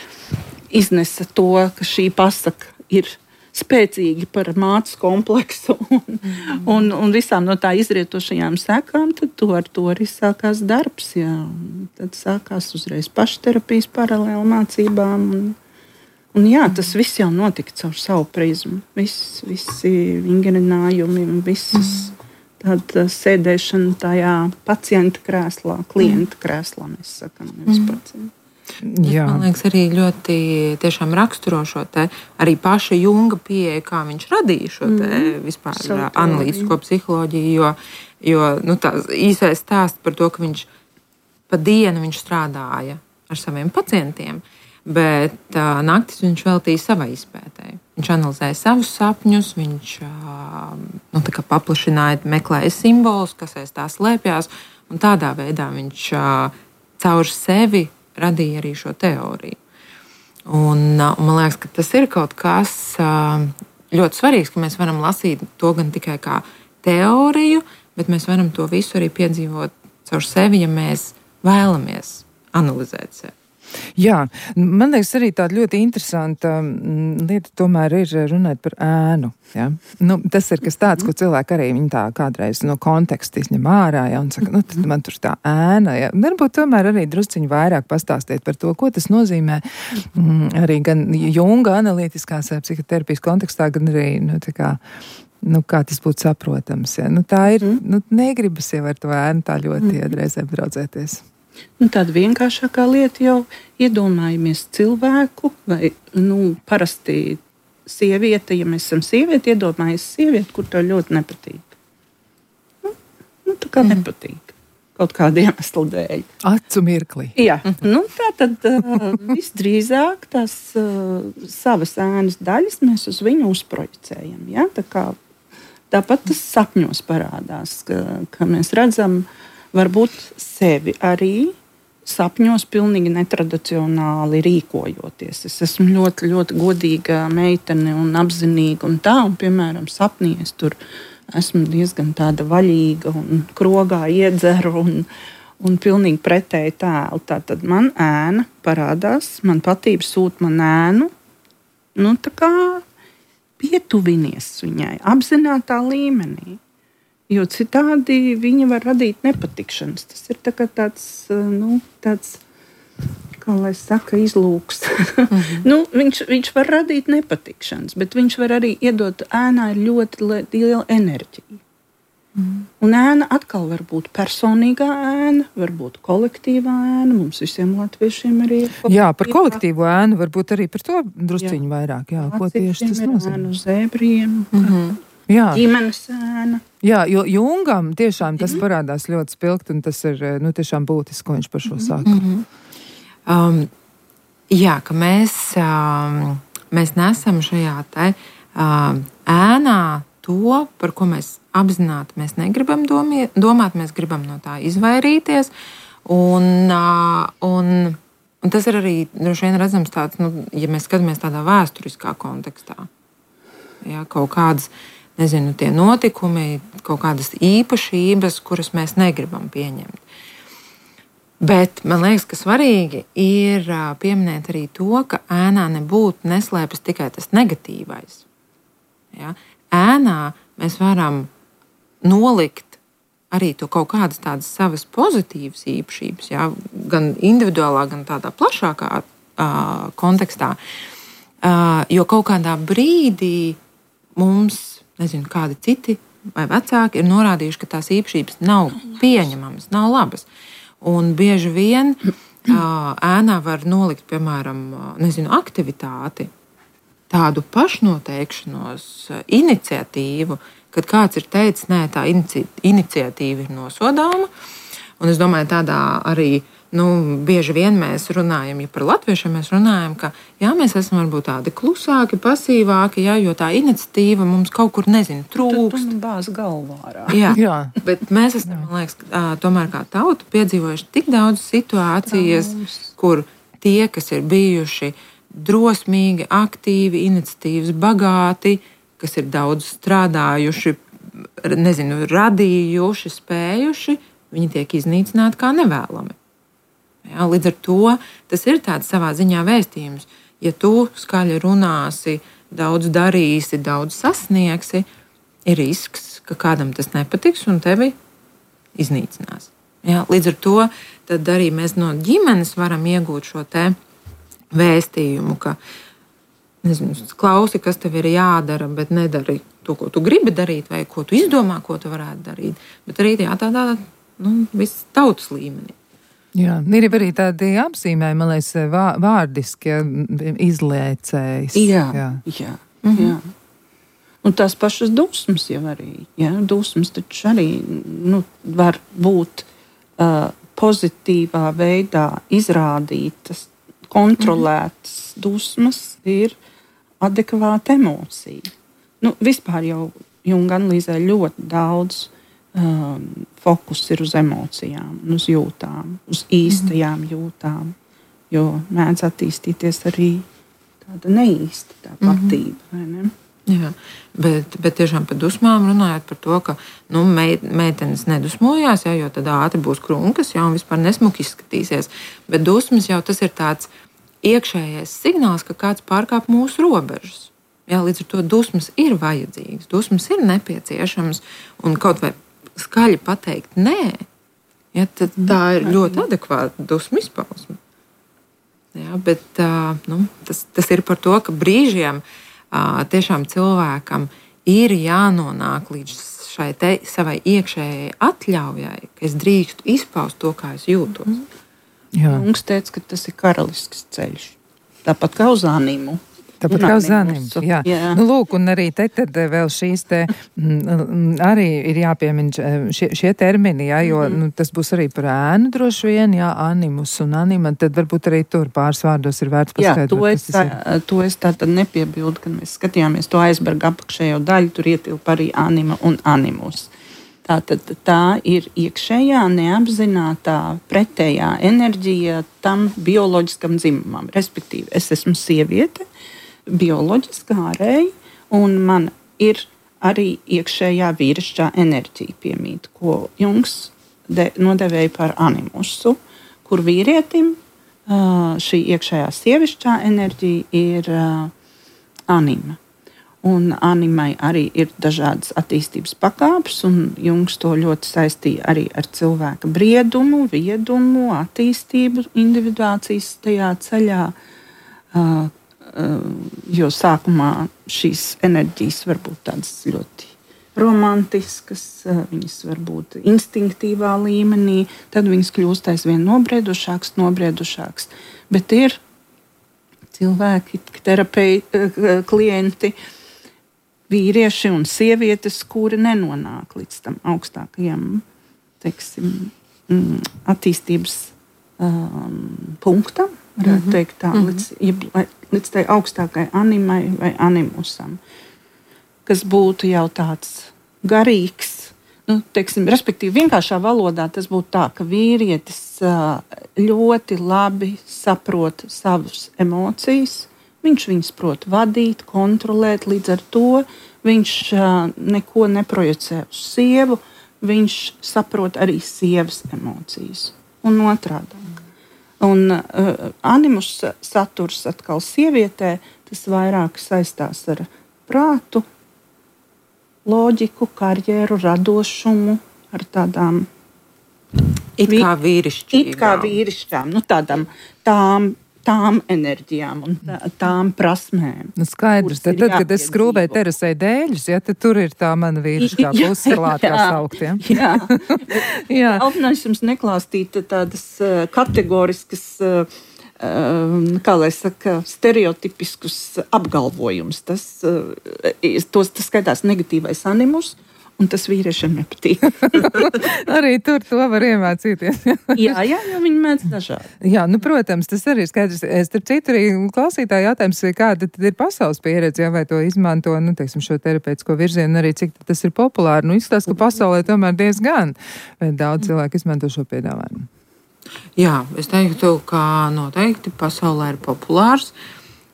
Speaker 3: iznesa to, ka šī pasaka ir spēcīgi par mātes kompleksu un, mm. un, un visām no tā izrietošajām sekām, tad to ar to arī sākās darbs. Jā. Tad sākās uzreiz pašterapijas paralēli mācībām. Un, un jā, tas viss jau notika caur savu prizmu. Viss, visi vingrinājumi un visas tāda sēdēšana tajā pacienta krēslā, klienta krēslā, mēs sakam, nevis pacienta.
Speaker 2: Jā.
Speaker 4: Man liekas, arī ļoti tiešām raksturo šo te arī paša Junga pieeja, kā viņš radīja šo te vispār mm. analītisko psiholoģiju, jo, jo nu, tā īsais stāsts par to, ka viņš pa dienu viņš strādāja ar saviem pacientiem, bet uh, naktis viņš veltīja savai izpētēji. Viņš analizēja savus sapņus, viņš uh, nu, tā kā paplašināja, meklēja simbolus, kas aiz tā slēpjās, un tādā veidā viņš uh, caur sevi radīja arī šo teoriju. Un, un man liekas, ka tas ir kaut kas ļoti svarīgs, ka mēs varam lasīt to gan tikai kā teoriju, bet mēs varam to visu arī piedzīvot caur sevi, ja mēs vēlamies analizēt sevi.
Speaker 2: Jā, man liekas, arī tāda ļoti interesanta lieta tomēr ir runāt par ēnu. Ja? Nu, tas ir kas tāds, ko cilvēki arī viņi tā kādreiz no konteksta izņem ārā, ja? Un saka, nu, tad man tur tā ēna. Ja? Varbūt tomēr arī drusciņi vairāk pastāstiet par to, ko tas nozīmē mm, arī gan Junga analītiskās psihoterapijas kontekstā, gan arī, nu, tā kā, nu, kā tas būtu saprotams. Ja? Nu, tā ir, nu, negribas jau ar to ēnu tā ļoti iedreizē braudzēties.
Speaker 3: Nu, tāda vienkāršākā lieta jau iedomājamies cilvēku, vai nu, parasti sieviete, ja mēs esam sievieti, iedomājamies sievieti, kur tev ļoti nepatīk. Nu, nu tā kā mm. nepatīk. Kaut kāda iemesla dēļ.
Speaker 2: Acu mirkli.
Speaker 3: Jā, nu tā tad uh, visdrīzāk tās uh, savas ēnas daļas mēs uz viņu uzprojicējam. Ja? Tā kā, tāpat tas sapņos parādās, ka, ka mēs redzam varbūt sevi arī sapņos pilnīgi netradicionāli rīkojoties. Es esmu ļoti, ļoti godīga meitene un apzinīga un tā, un, piemēram, sapnī es tur esmu diezgan tāda vaļīga un krogā iedzeru un, un pilnīgi pretēji tēlu. Tātad man ēna parādās, man patība sūt man ēnu, nu tā kā pietuvinies viņai, apzinātā līmenī. Jo citādi viņa var radīt nepatikšanas. Tas ir tā kā tāds, nu, tāds, kā lai saka, izlūks. Mm-hmm. nu, viņš, viņš var radīt nepatikšanas, bet viņš var arī iedot ēnā ir ļoti liela enerģija. Mm-hmm. Un ēna atkal var būt personīgā ēna, var būt kolektīvā ēna. Mums visiem latviešiem arī ir.
Speaker 2: Jā, par kolektīvo ēnu varbūt arī par to drusciņu vairāk. Jā, ko tieši tas nozīmē?
Speaker 3: Ēnu zēbriem. Mm-hmm.
Speaker 2: Jā.
Speaker 3: Ģimenes ēna.
Speaker 2: Jā, jo Jungam tiešām tas parādās ļoti spilgt, un tas ir nu, tiešām būtiski, ko viņš par šo saka.
Speaker 4: Mm-hmm. um, jā, ka mēs, um, mēs nesam šajā te um, ēnā to, par ko mēs apzināti mēs negribam domie, domāt, mēs gribam no tā izvairīties. Un, uh, un, un tas ir arī droši vien redzams tāds, nu, ja mēs skatāmies tādā vēsturiskā kontekstā. Jā, kaut kādas nezinu, tie notikumi, kaut kādas īpašības, kuras mēs negribam pieņemt. Bet man liekas, ka svarīgi ir pieminēt arī to, ka ēnā nebūtu neslēpjas tikai tas negatīvais. Ja? Ēnā mēs varam nolikt arī to kaut kādas tādas savas pozitīvas īpašības, ja? Gan individuālā, gan tādā plašākā uh, kontekstā. Uh, jo kaut kādā brīdī mums nezinu, kādi citi vai vecāki ir norādījuši, ka tās īpašības nav pieņemamas, nav labas. Un bieži vien ēnā var nolikt, piemēram, nezinu, aktivitāti, tādu pašnoteikšanos, iniciatīvu, kad kāds ir teicis, nē, tā inici- iniciatīva ir nosodāma. Un es domāju, tādā arī nu, bieži vien mēs runājam, ja par latviešiem mēs runājam, ka jā, mēs esam varbūt tādi klusāki, pasīvāki, jā, jo tā iniciatīva mums kaut kur, nezinu, trūkst.
Speaker 3: Tu, tu bāz galvā.
Speaker 2: Jā. jā.
Speaker 4: Bet mēs esam, man liekas, tomēr kā tauta piedzīvojuši tik daudz situācijas, Prams. kur tie, kas ir bijuši drosmīgi, aktīvi, iniciatīvas bagāti, kas ir daudz strādājuši, nezinu, radījuši, spējuši, viņi tiek iznīcināti kā nevēlami. Ja, līdz ar to tas ir tāds savā ziņā vēstījums. Ja tu skaļi runāsi, daudz darīsi, daudz sasniegsi, ir risks, ka kādam tas nepatiks un tevi iznīcinās. Ja, līdz ar to tad arī mēs no ģimenes varam iegūt šo te vēstījumu, ka nezinu, klausi, kas tev ir jādara, bet nedari to, ko tu gribi darīt, vai ko tu izdomā, ko tu varētu darīt. Bet arī jā, tādā nu, viss tautas līmenī.
Speaker 2: Jā, ir arī tādi apzīmējumi, man liekas, vārdiski, ja, izliecējs.
Speaker 3: Jā, jā. jā, mm-hmm. jā. Un tās pašas dusmas jau arī. Jā, dusmas taču arī nu, var būt uh, pozitīvā veidā izrādītas, kontrolētas mm-hmm. dusmas ir adekvāta emocija. Nu, vispār jau Junga analīzē ļoti daudz um, fokus ir uz emocijām, uz jūtām, uz īstajām mm-hmm. jūtām, jo mēdz attīstīties arī tāda neīsta tā patība, mm-hmm. vai ne?
Speaker 4: Jā, bet, bet tiešām par dusmām runājot par to, ka nu, meitenes nedusmojās, jā, jo tad ātri būs krunkas, jā, un vispār nesmuki izskatīsies. Bet dusmas jau tas ir tāds iekšējais signāls, ka kāds pārkāp mūsu robežas. Jā, līdz ar to dusmas ir vajadzīgas, dusmas ir nepieciešamas, un kaut vai skaļi pateikt nē, ja, tad tā ir ļoti adekvāta dusmu izpausme. Jā, bet uh, nu, tas, tas ir par to, ka brīžiem uh, tiešām cilvēkam ir jānonāk līdz šai te, savai iekšējai atļaujai, ka es drīkstu izpaust to, kā es jūtos.
Speaker 3: Jungs teica, ka tas ir karalisks ceļš, tāpat kā uz Animu.
Speaker 2: Tāpat kā uz Animu, jā. jā. Nu, lūk, un arī te tad vēl šīs te m, arī ir jāpiemina šie, šie termini, jā, jo mm-hmm. nu, tas būs arī par ēnu droši vien, jā, animus un anima, tad varbūt arī tur pāris vārdos ir vērts paskaidrot.
Speaker 3: Jā, to es, tā, to es tā tad nepiebildu, kad mēs skatījāmies to aizberga apakšējo daļu, tur ietilpa arī anima un animus. Tātad tā ir iekšējā, neapzinātā, pretējā enerģija tam bioloģiskam dzimumam. Respektīvi, es esmu sieviete, bioloģiski ārēji, un man ir arī iekšējā vīrišķā enerģija piemīt, ko Jungs de, nodevēja par animusu, kur vīrietim šī iekšējā sievišķā enerģija ir anima. Un animai arī ir dažādas attīstības pakāpes, un Jungs to ļoti saistīja arī ar cilvēka briedumu, viedumu, attīstību, individuācijas tajā ceļā. Uh, uh, jo sākumā šīs enerģijas var būt tādas ļoti romantiskas, uh, viņas var būt instinktīvā līmenī, tad viņas kļūst aizvien nobriedušākas, nobriedušākas. Bet ir cilvēki, terapeiti, klienti, vīrieši un sievietes, kuri nenonāk līdz tam augstākajam, teiksim, attīstības um, punktam, varētu mm-hmm. teikt tā, mm-hmm. līdz, līdz tai augstākai animai vai animusam, kas būtu jau tāds garīgs, nu, teiksim, respektīvi vienkāršā valodā tas būtu tā, ka vīrietis uh, ļoti labi saprot savas emocijas, viņš viņus prot vadīt, kontrolēt, līdz ar to viņš uh, neko neprojicē uz sievu, viņš saprot arī sievas emocijas un otrādāk. Un uh, animus saturs atkal sievietē, tas vairāk saistās ar prātu, loģiku, karjeru, radošumu, ar tādām
Speaker 4: it kā vīrišķīgām,
Speaker 3: it kā vīrišķām, nu tādām tām tām enerģijām un tā, tām prasmēm.
Speaker 2: Nu, skaidrs, tad, tad kad es skrūvēju terasē dēļus, ja, tad tur ir tā mana vīrišķā puse klāt, kā saukt. Ja?
Speaker 3: Jā, jā. Alpinājums jums neklāstīt tādas uh, kategoriskas, uh, uh, kā lai saka, stereotipiskus apgalvojumus. Tas, uh, tos, tas skaitās negatīvais animus, un tas vīriešiem nepatīk.
Speaker 2: Arī tur to var iemācīties.
Speaker 3: jā, jā, jo viņi mēdz dažādi.
Speaker 2: Jā, nu, protams, tas arī skaidrs. Starp citu, arī klausītāji jautājums, kāda tad ir pasaules pieredze, ja, vai to izmanto, nu, teiksim, šo terapeitisko virzienu, arī cik tas ir populāri. Nu, izskatās, ka pasaulē tomēr diezgan daudz cilvēku izmanto šo piedāvājumu.
Speaker 4: Jā, es teiktu, ka noteikti pasaulē ir populārs.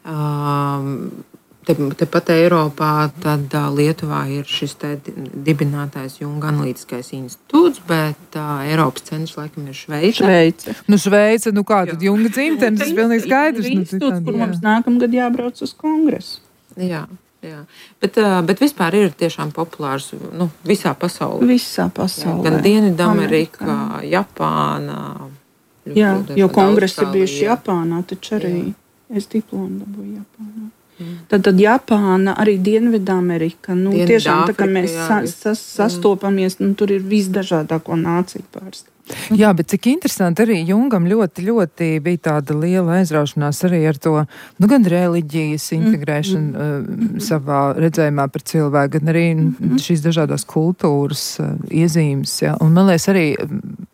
Speaker 4: Um, Tepat te Eiropā, tad uh, Lietuvā ir šis te dibinātais Junga analītiskais institūts, bet uh, Eiropas centrs laikam ir Šveice.
Speaker 3: Šveice.
Speaker 2: Nu, Šveice, nu kā tad Junga dzimtenes, tas pilnīgi skaidrs.
Speaker 3: Nu, institūts, kur mums nākamgad jābrauc uz kongresu.
Speaker 4: Jā, jā. Bet, uh, bet vispār ir tiešām populārs nu, visā pasaulē.
Speaker 3: Visā pasaulē.
Speaker 4: Jā, gan Dienvidamerika, Japāna.
Speaker 3: Jā, jo kongresi ir bijuši Japānā, taču arī jā. Es diplomu dabūju Japānā. Tad, tad Japāna, arī Dienvidamerika. Nu,
Speaker 4: Dienvidā
Speaker 3: tiešām tā kā
Speaker 4: Afrika,
Speaker 3: mēs
Speaker 4: jā,
Speaker 3: sa, sas, sastopamies, nu, tur ir visdažādāko nāciju pārstāvji.
Speaker 2: Jā, bet cik interesanti arī Jungam ļoti, ļoti bija tāda liela aizraušanās arī ar to, nu, gan reliģijas integrēšanu mm. uh, savā redzējumā par cilvēku, gan arī mm. šīs dažādās kultūras uh, iezīmes. Ja? Un man liekas arī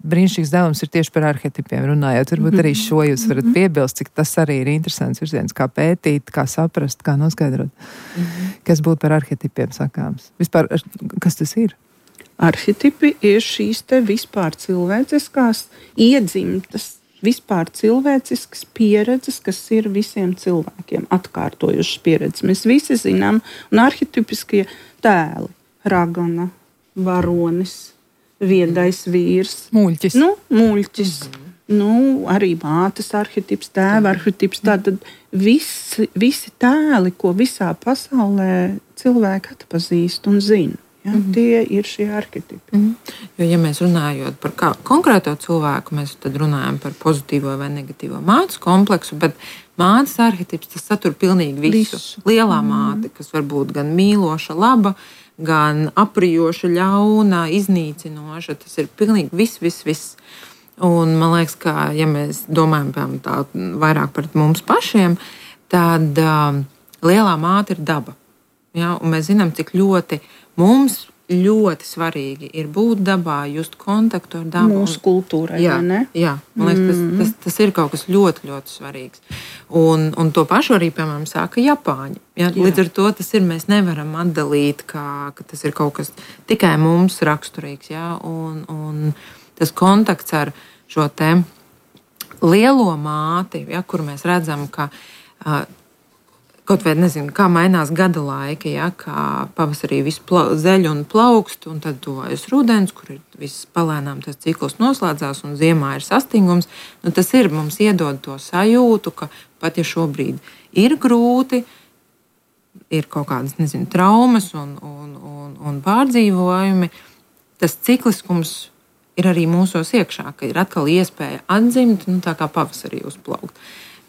Speaker 2: brīnišķīgs devums ir tieši par arhetipiem runājot. Varbūt arī šo jūs varat piebilst, cik tas arī ir interesants virziens, kā pētīt, kā saprast, kā noskaidrot, mm. kas būtu par arhetipiem sakāms. Vispār, kas tas ir?
Speaker 3: Arhetipi ir šīs te vispār cilvēciskās, iedzimtas, vispār cilvēciskas pieredzes, kas ir visiem cilvēkiem atkārtojušas pieredzes. Mēs visi zinām, un arhetipiskie tēli, ragana, varonis, viedais vīrs.
Speaker 2: Muļķis.
Speaker 3: Nu, muļķis. Mm. Nu, arī mātes arhetips, tēva arhetips. Tātad visi, visi tēli, ko visā pasaulē cilvēki atpazīst un zina. Ja, mm-hmm. Tie ir šie arhetipi.
Speaker 4: Mm-hmm. Jo, ja mēs runājam par kā, konkrēto cilvēku, mēs tad runājam par pozitīvo vai negatīvo mātes kompleksu, bet mātes arhetips tas satur pilnīgi visu. visu. Lielā mm-hmm. māte, kas var būt gan mīloša, laba, gan aprijoša, ļauna, iznīcinoša. Tas ir pilnīgi viss, viss, viss. Un man liekas, ka, ja mēs domājam tā, vairāk par mums pašiem, tad um, lielā māte ir daba. Ja? Un mēs zinām, cik ļoti mums ļoti svarīgi ir būt dabā, just kontaktu ar dabu.
Speaker 3: Mūsu kultūrai,
Speaker 4: jā,
Speaker 3: vai ne?
Speaker 4: Jā, man liekas, tas, tas, tas ir kaut kas ļoti, ļoti svarīgs. Un, un to pašu arī, piemēram, saka Japāņi. Ja? Jā. Līdz ar to tas ir, mēs nevaram atdalīt, kā, ka tas ir kaut kas tikai mums raksturīgs. Ja? Un, un tas kontakts ar šo te lielo māti, ja, kur mēs redzam, ka uh, kaut vai nezinu, kā mainās gada laika, ja, kā pavasarī viss pla- zeļ un plaukst, un tad tuvojas rudens, kur ir viss palēnām tas cikls noslēdzās, un ziemā ir sastingums. Nu, tas ir, mums iedod to sajūtu, ka pat ja šobrīd ir grūti, ir kaut kādas, nezinu, traumas un, un, un, un pārdzīvojumi, tas cikliskums ir arī mūsos iekšā, ka ir atkal iespēja atdzimt, nu, tā kā pavasarī uzplaukt.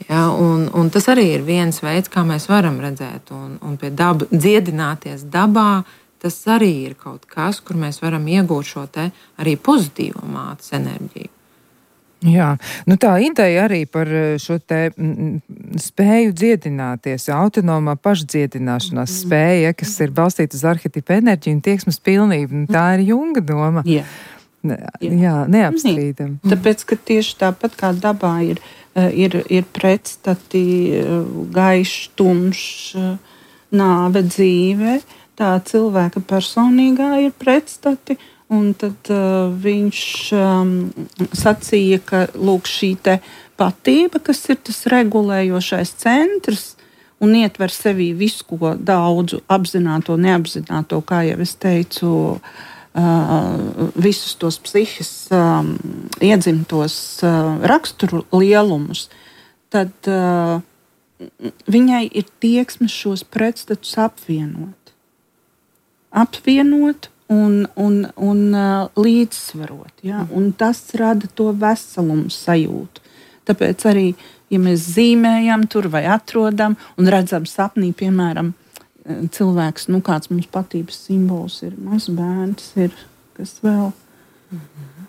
Speaker 4: Ja, un, un tas arī ir viens veids, kā mēs varam redzēt, un, un pie daba, dziedināties dabā, tas arī ir kaut kas, kur mēs varam iegūt šo te arī pozitīvo mātes enerģiju.
Speaker 2: Jā, nu tā ideja arī par šo te m, spēju dziedināties, autonomā pašdziedināšanās mm. spēja, kas ir balstīta uz arhetipu enerģiju un tieksmes pilnību, tā ir Junga doma.
Speaker 3: Jā.
Speaker 2: Ne, jā, neapstrīdam.
Speaker 3: Tāpēc, ka tieši tāpat kā dabā ir Ir, ir pretstati gaišs, tumšs, nāve, dzīve. Tā cilvēka personīgā ir pretstati. Un tad uh, viņš um, sacīja, ka lūk, šī te patība, kas ir tas regulējošais centrs un ietver sevī visu, ko daudzu apzināto, neapzināto, kā jau es teicu, Uh, visus tos psihes um, iedzimtos uh, raksturu lielumus, tad uh, viņai ir tieksme šos pretstatus apvienot. Apvienot un, un, un uh, līdzsvarot. Ja? Un tas rada to veselumu sajūtu. Tāpēc arī, ja mēs zīmējam tur vai atrodam un redzam sapnī, piemēram, cilvēks, nu kāds mums patības simbols ir, mazs bērns ir, kas vēl. Mm-hmm.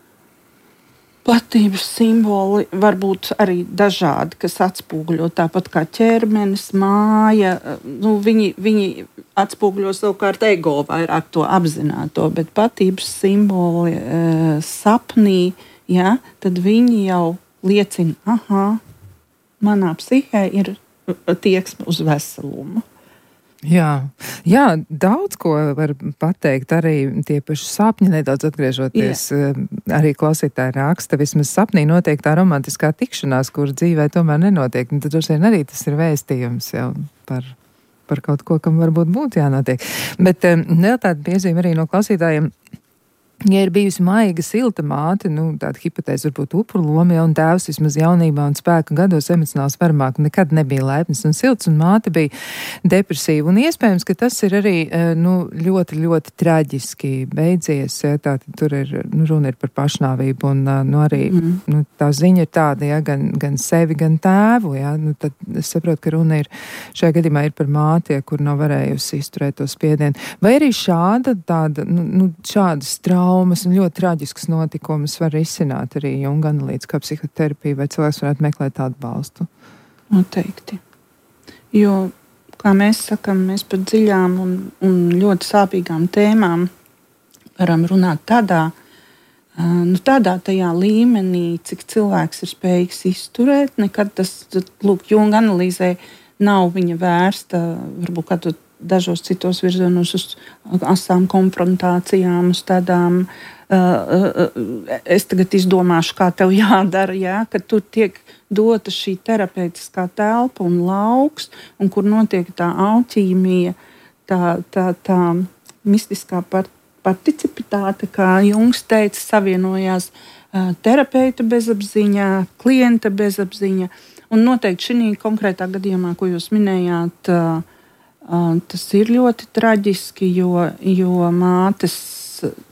Speaker 3: Patības simboli var būt arī dažādi, kas atspūgļo tāpat kā ķermenis, māja. Nu, viņi, viņi atspūgļo savukārt ego vairāk to apzināto, bet patības simboli e, sapnī, ja, tad viņi jau liecina, aha, manā psihē ir tieksme uz veselumu.
Speaker 2: Jā, jā, daudz ko var pateikt, arī tie paši sapņi, nedaudz atgriežoties, Jā. Arī klausītāji raksta, vismaz sapnī notiek tā romantiskā tikšanās, kur dzīvē tomēr nenotiek, un tad droši vien arī tas ir vēstījums jau par, par kaut ko, kam varbūt būtu jānotiek. Bet vēl tāda piezīme arī no klausītājiem. Ja ir bijusi maiga, silta māte, nu, tāda hipotēze varbūt upuru loma, ja, un tēvs vismaz jaunībā un spēka gados emocionāli svarmāk nekad nebija laipns un silts, un māte bija depresīva. Un iespējams, ka tas ir arī, nu, ļoti, ļoti traģiski beidzies, ja, tā tur ir, nu, runa ir par pašnāvību, un, nu, arī, mm. nu, tā ziņa ir tāda, ja, gan, gan sevi, gan tēvu, ja, nu, tad es saprotu, ka runa ir, šajā gadījumā ir par māti, ja, kur nav varējusi izturēt to spiedienu. Vai arī šāda, tāda, nu, nu šādas traumas, traumas un ļoti traģiskas notikumus var izsināt arī Junga analītiskā psihoterapija, vai cilvēks varētu meklēt atbalstu?
Speaker 3: Noteikti. Jo, kā mēs sakam, mēs par dziļām un, un ļoti sāpīgām tēmām varam runāt tādā, nu, tādā tajā līmenī, cik cilvēks ir spējīgs izturēt. Nekad tas, lūk, Junga analīzē nav viņa vērsta, varbūt kādu dažos citos virzienos uz asām konfrontācijām, uz tādām, uh, uh, es tagad izdomāšu, kā tev jādara, ja, kad tur tiek dota šī terapeitiskā telpa un lauks, un kur notiek tā alķīmija, tā, tā, tā mistiskā part, participitāte, kā Jungs teica, savienojās uh, terapeita bezapziņa, klienta bezapziņa, un noteikti šī konkrētā gadījumā, ko jūs minējāt, uh, Uh, tas ir ļoti traģiski, jo, jo mātes,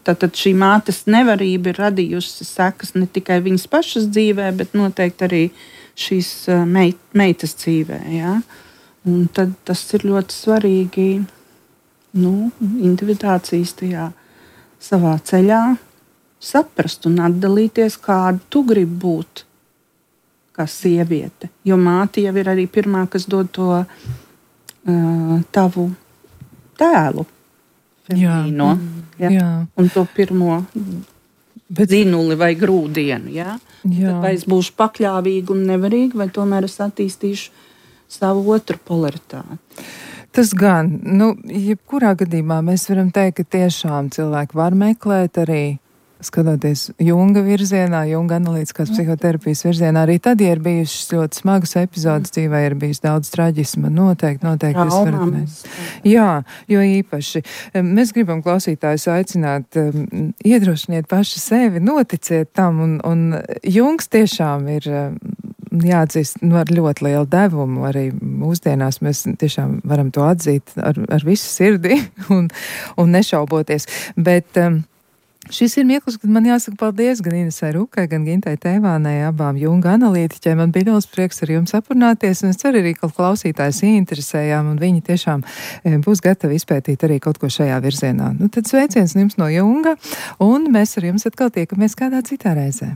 Speaker 3: tātad šī mātes nevarība ir radījusi sekas ne tikai viņas pašas dzīvē, bet noteikti arī šīs uh, meit, meitas dzīvē. Ja? Un tad tas ir ļoti svarīgi, nu, individuācijas tajā savā ceļā saprast un atdalīties, kādu tu gribi būt kā sieviete. Jo māte jau ir arī pirmā, kas dod to tavu tēlu. feminīno,
Speaker 2: jā. Jā.
Speaker 3: Un to pirmo Bet... dzinuli vai grūdienu. Jā?
Speaker 2: Jā.
Speaker 3: Vai es būšu pakļāvīga un nevarīga, vai tomēr es attīstīšu savu otru polaritāti.
Speaker 2: Tas gan, nu, jebkurā gadījumā mēs varam teikt, ka tiešām cilvēki var meklēt arī, skatoties Junga virzienā, Junga analītiskās psihoterapijas virzienā, arī tad, ja ir bijušas ļoti smagas epizodes dzīvē, ir bijis daudz traģisma, noteikti, noteikti jūs varat mēs. Jā, jo īpaši. Mēs gribam klausītājus aicināt, um, iedrošiniet paši sevi, noticiet tam, un, un Jungs tiešām ir um, jāatzīst nu, ar ļoti lielu devumu. Arī mūsdienās mēs tiešām varam to atzīt ar, ar visu sirdi un, un nešauboties. Bet um, šis ir mirklis, kad man jāsaka paldies gan Inesai Rukai, gan Gintai Teivānai, abām Junga analītiķiem. Man bija liels prieks ar jums aprunāties, un es ceru arī, ka klausītājs ieinteresējām, un viņi tiešām būs gatavi izpētīt arī kaut ko šajā virzienā. Nu, tad sveiciens jums no Junga, un mēs ar jums atkal tiekamies kādā citā reizē.